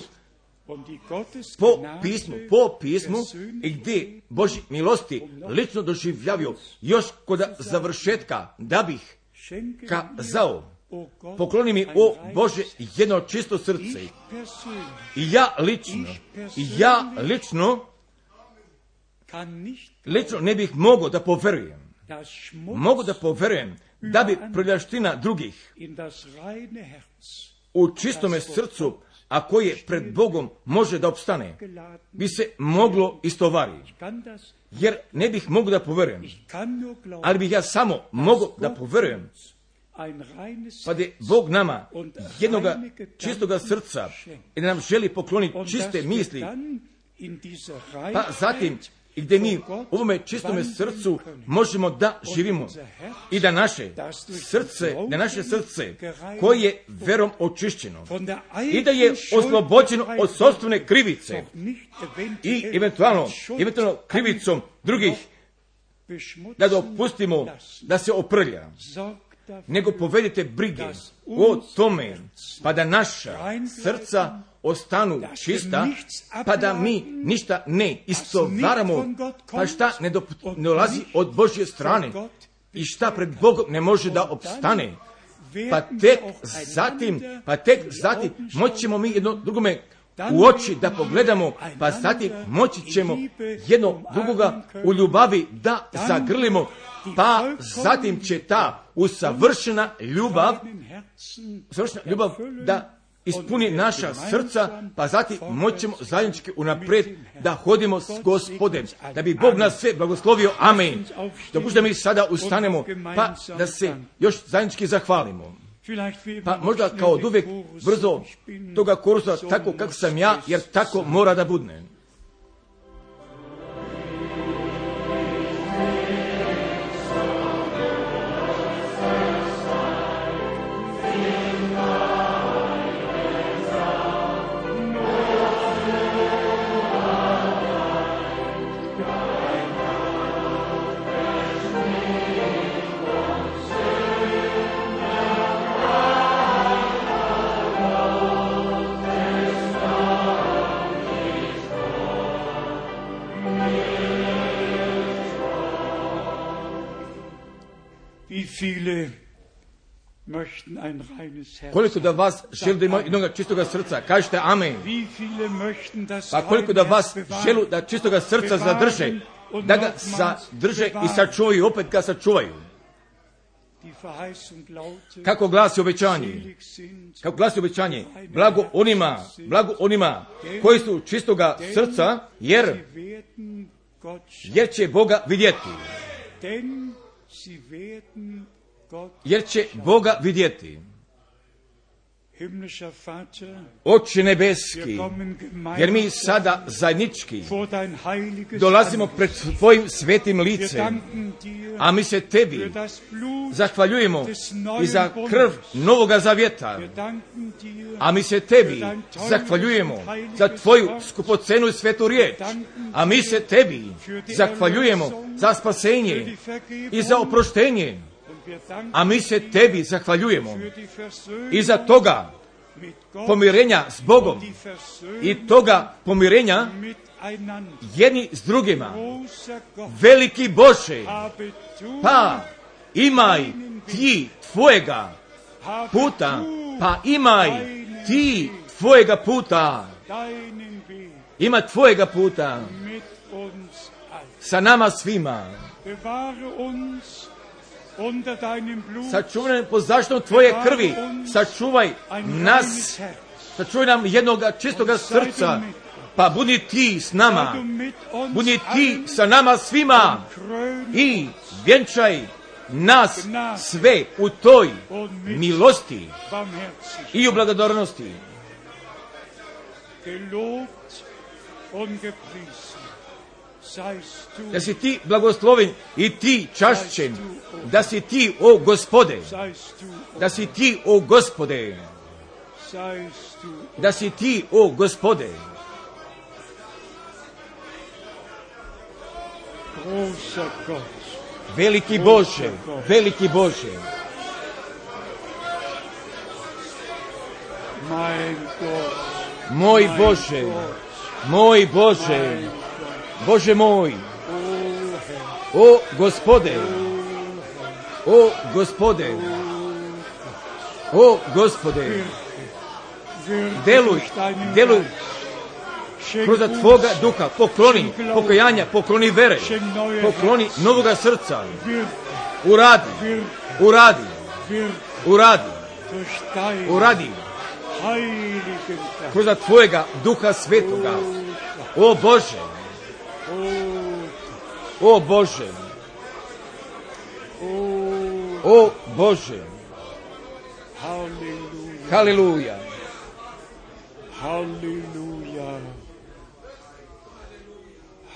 po pismu i gdje Božji milosti lično doživljavio još kod završetka, da bih kazao: pokloni mi, o Bože, jedno čisto srce. I ja lično ne bih mogao da povjerujem. Mogu da povjerujem da bi prljavština drugih u čistome srcu, a koje pred Bogom može da opstane, bi se moglo istovariti. Jer ne bih mogao da povjerujem, ali bih ja samo mogao da povjerujem, pa da je Bog nama jednoga čistoga srca i da nam želi pokloniti čiste misli, pa zatim i gdje mi u ovome čistome srcu možemo da živimo i da naše srce koje je verom očišćeno i da je oslobođeno od sopstvene krivice i eventualno krivicom drugih da dopustimo da se oprlja, nego povedite brige o tome, pa da naša srca ostanu čista, pa da mi ništa ne istovaramo, pa šta ne dolazi od Božje strane i šta pred Bogom ne može da opstane, pa tek zatim moćemo mi jedno drugome u oči da pogledamo, pa zatim moći ćemo jedno drugoga u ljubavi da zagrlimo, pa zatim će ta usavršena ljubav da ispuni naša srca, pa zatim moćemo zajednički unaprijed da hodimo s Gospodem, da bi Bog nas sve blagoslovio. Amen. Dopustite mi sada ustanemo, pa da se još zajednički zahvalimo. Pa možda kao od uvijek brzo toga korusa tako kako sam ja, jer tako mora da budne. Koliko da vas želi da ima jednog čistoga srca, kažete amen. Pa koliko da vas želi da čistoga srca zadrže, da ga zadrže i sačuvaju, opet ga sačuvaju. Kako glasi obećanje? Blago onima koji su čistoga srca, jer će Boga vidjeti. Oče nebeski, jer mi sada zajednički dolazimo pred tvojim svetim licem, a mi se tebi zahvaljujemo i za krv Novoga Zavjeta, a mi se tebi zahvaljujemo za tvoju skupocenu i svetu riječ, a mi se tebi zahvaljujemo za spasenje i za oproštenje, a mi se tebi zahvaljujemo i za toga pomirenja s Bogom i toga pomirenja jedni s drugima. Veliki Bože, pa imaj ti tvojega puta, ima tvojega puta sa nama svima. Sačuvaj po zaštitom tvoje krvi, sačuvaj nam jednoga čistoga srca, pa budi ti s nama, budi ti sa nama svima i vjenčaj nas sve u toj milosti i u благодарnosti. Da si ti blagosloven i ti čašćen, da si ti, o Gospode, da si ti, o Gospode, veliki Bože, veliki Bože, moj Bože, moj Bože, Bože moj, o Gospode, o Gospode, o Gospode, deluj, deluj kroz Tvoga duha, pokloni pokajanja, pokloni vere, pokloni novoga srca, uradi, uradi, uradi, uradi kroz Tvojega duha svetoga, o Bože, o Bože, o Bože, haleluja, haleluja,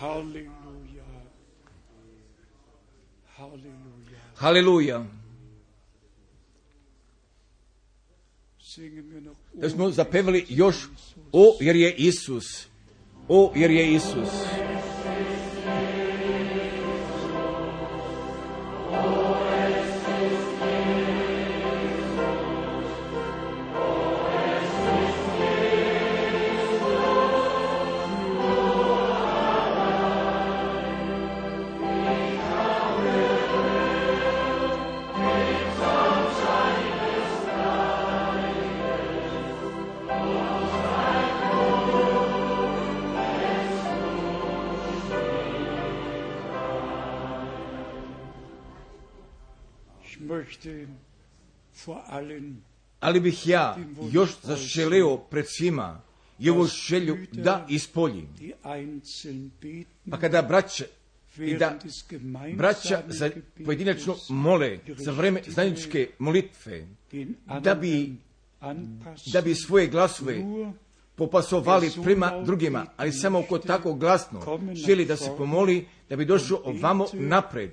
haleluja, haleluja, haleluja. Da smo zapevali još, o jer je Isus, o jer je Isus. Ali bih ja još zaželeo pred svima i ovu želju da ispoljim. Pa kada braća za pojedinačno mole za vreme zajedničke molitve, da bi svoje glasove popasovali prema drugima, ali samo oko tako glasno želi da se pomoli, da bi došao ovamo napred,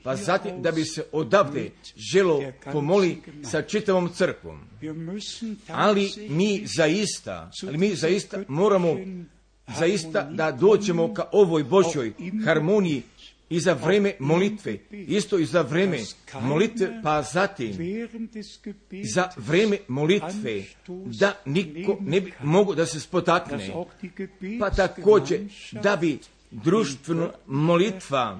pa zatim da bi se odavde želo pomoli sa čitavom crkvom. Ali mi zaista moramo zaista da dođemo ka ovoj Božjoj harmoniji i za vreme molitve, isto i za vreme molitve, pa zatim za vreme molitve da niko ne bi mogao da se spotakne, pa također da bi društvena molitva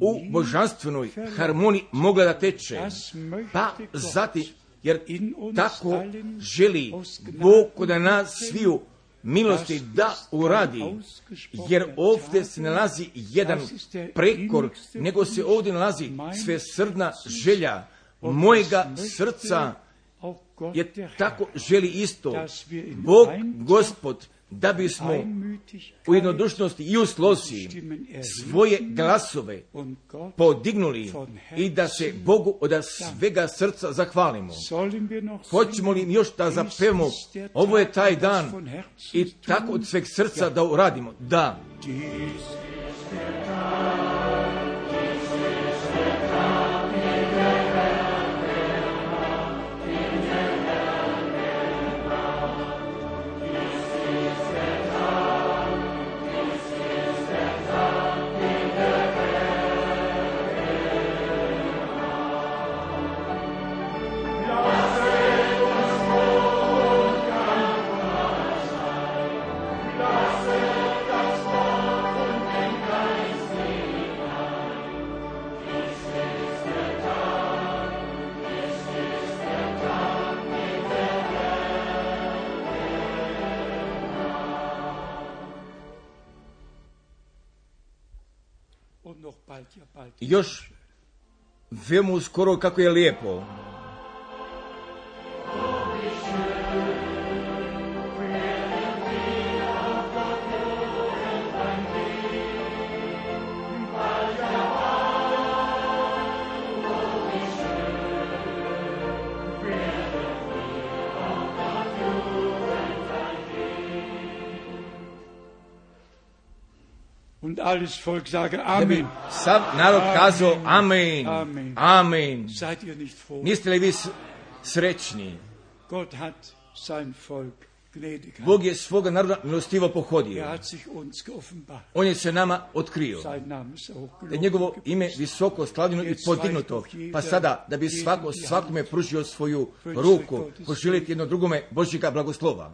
u božanstvenoj harmoniji mogla da teče, pa zatim, jer tako želi Bog kod nas sviju milosti da uradi, jer ovdje se nalazi jedan prekor, nego se ovdje nalazi svesrdna želja mojega srca, jer tako želi isto Bog Gospod, da bismo u jednodušnosti i u slozi svoje glasove podignuli i da se Bogu od svega srca zahvalimo. Hoćemo li još da zapevamo, ovo je taj dan, i tako od sveg srca da uradimo? Da. Još veoma uskoro kako je lijepo. Und alles Volk sage Amen. Sav narod kazao Amen. Amen. Amen. Seid ihr nicht froh? Niste li vi srećni? Gott hat sein Volk gnädig hat. Bog je svoga naroda milostivo pohodio. Hat sich uns geoffenbart. On je se nama otkrio. Sein Name ist hochgelobt. Da je njegovo ime visoko slavljeno i podignuto. Pa sada, da bi svakome pružio svoju ruku, poželjeti jedno drugome Božjega blagoslova.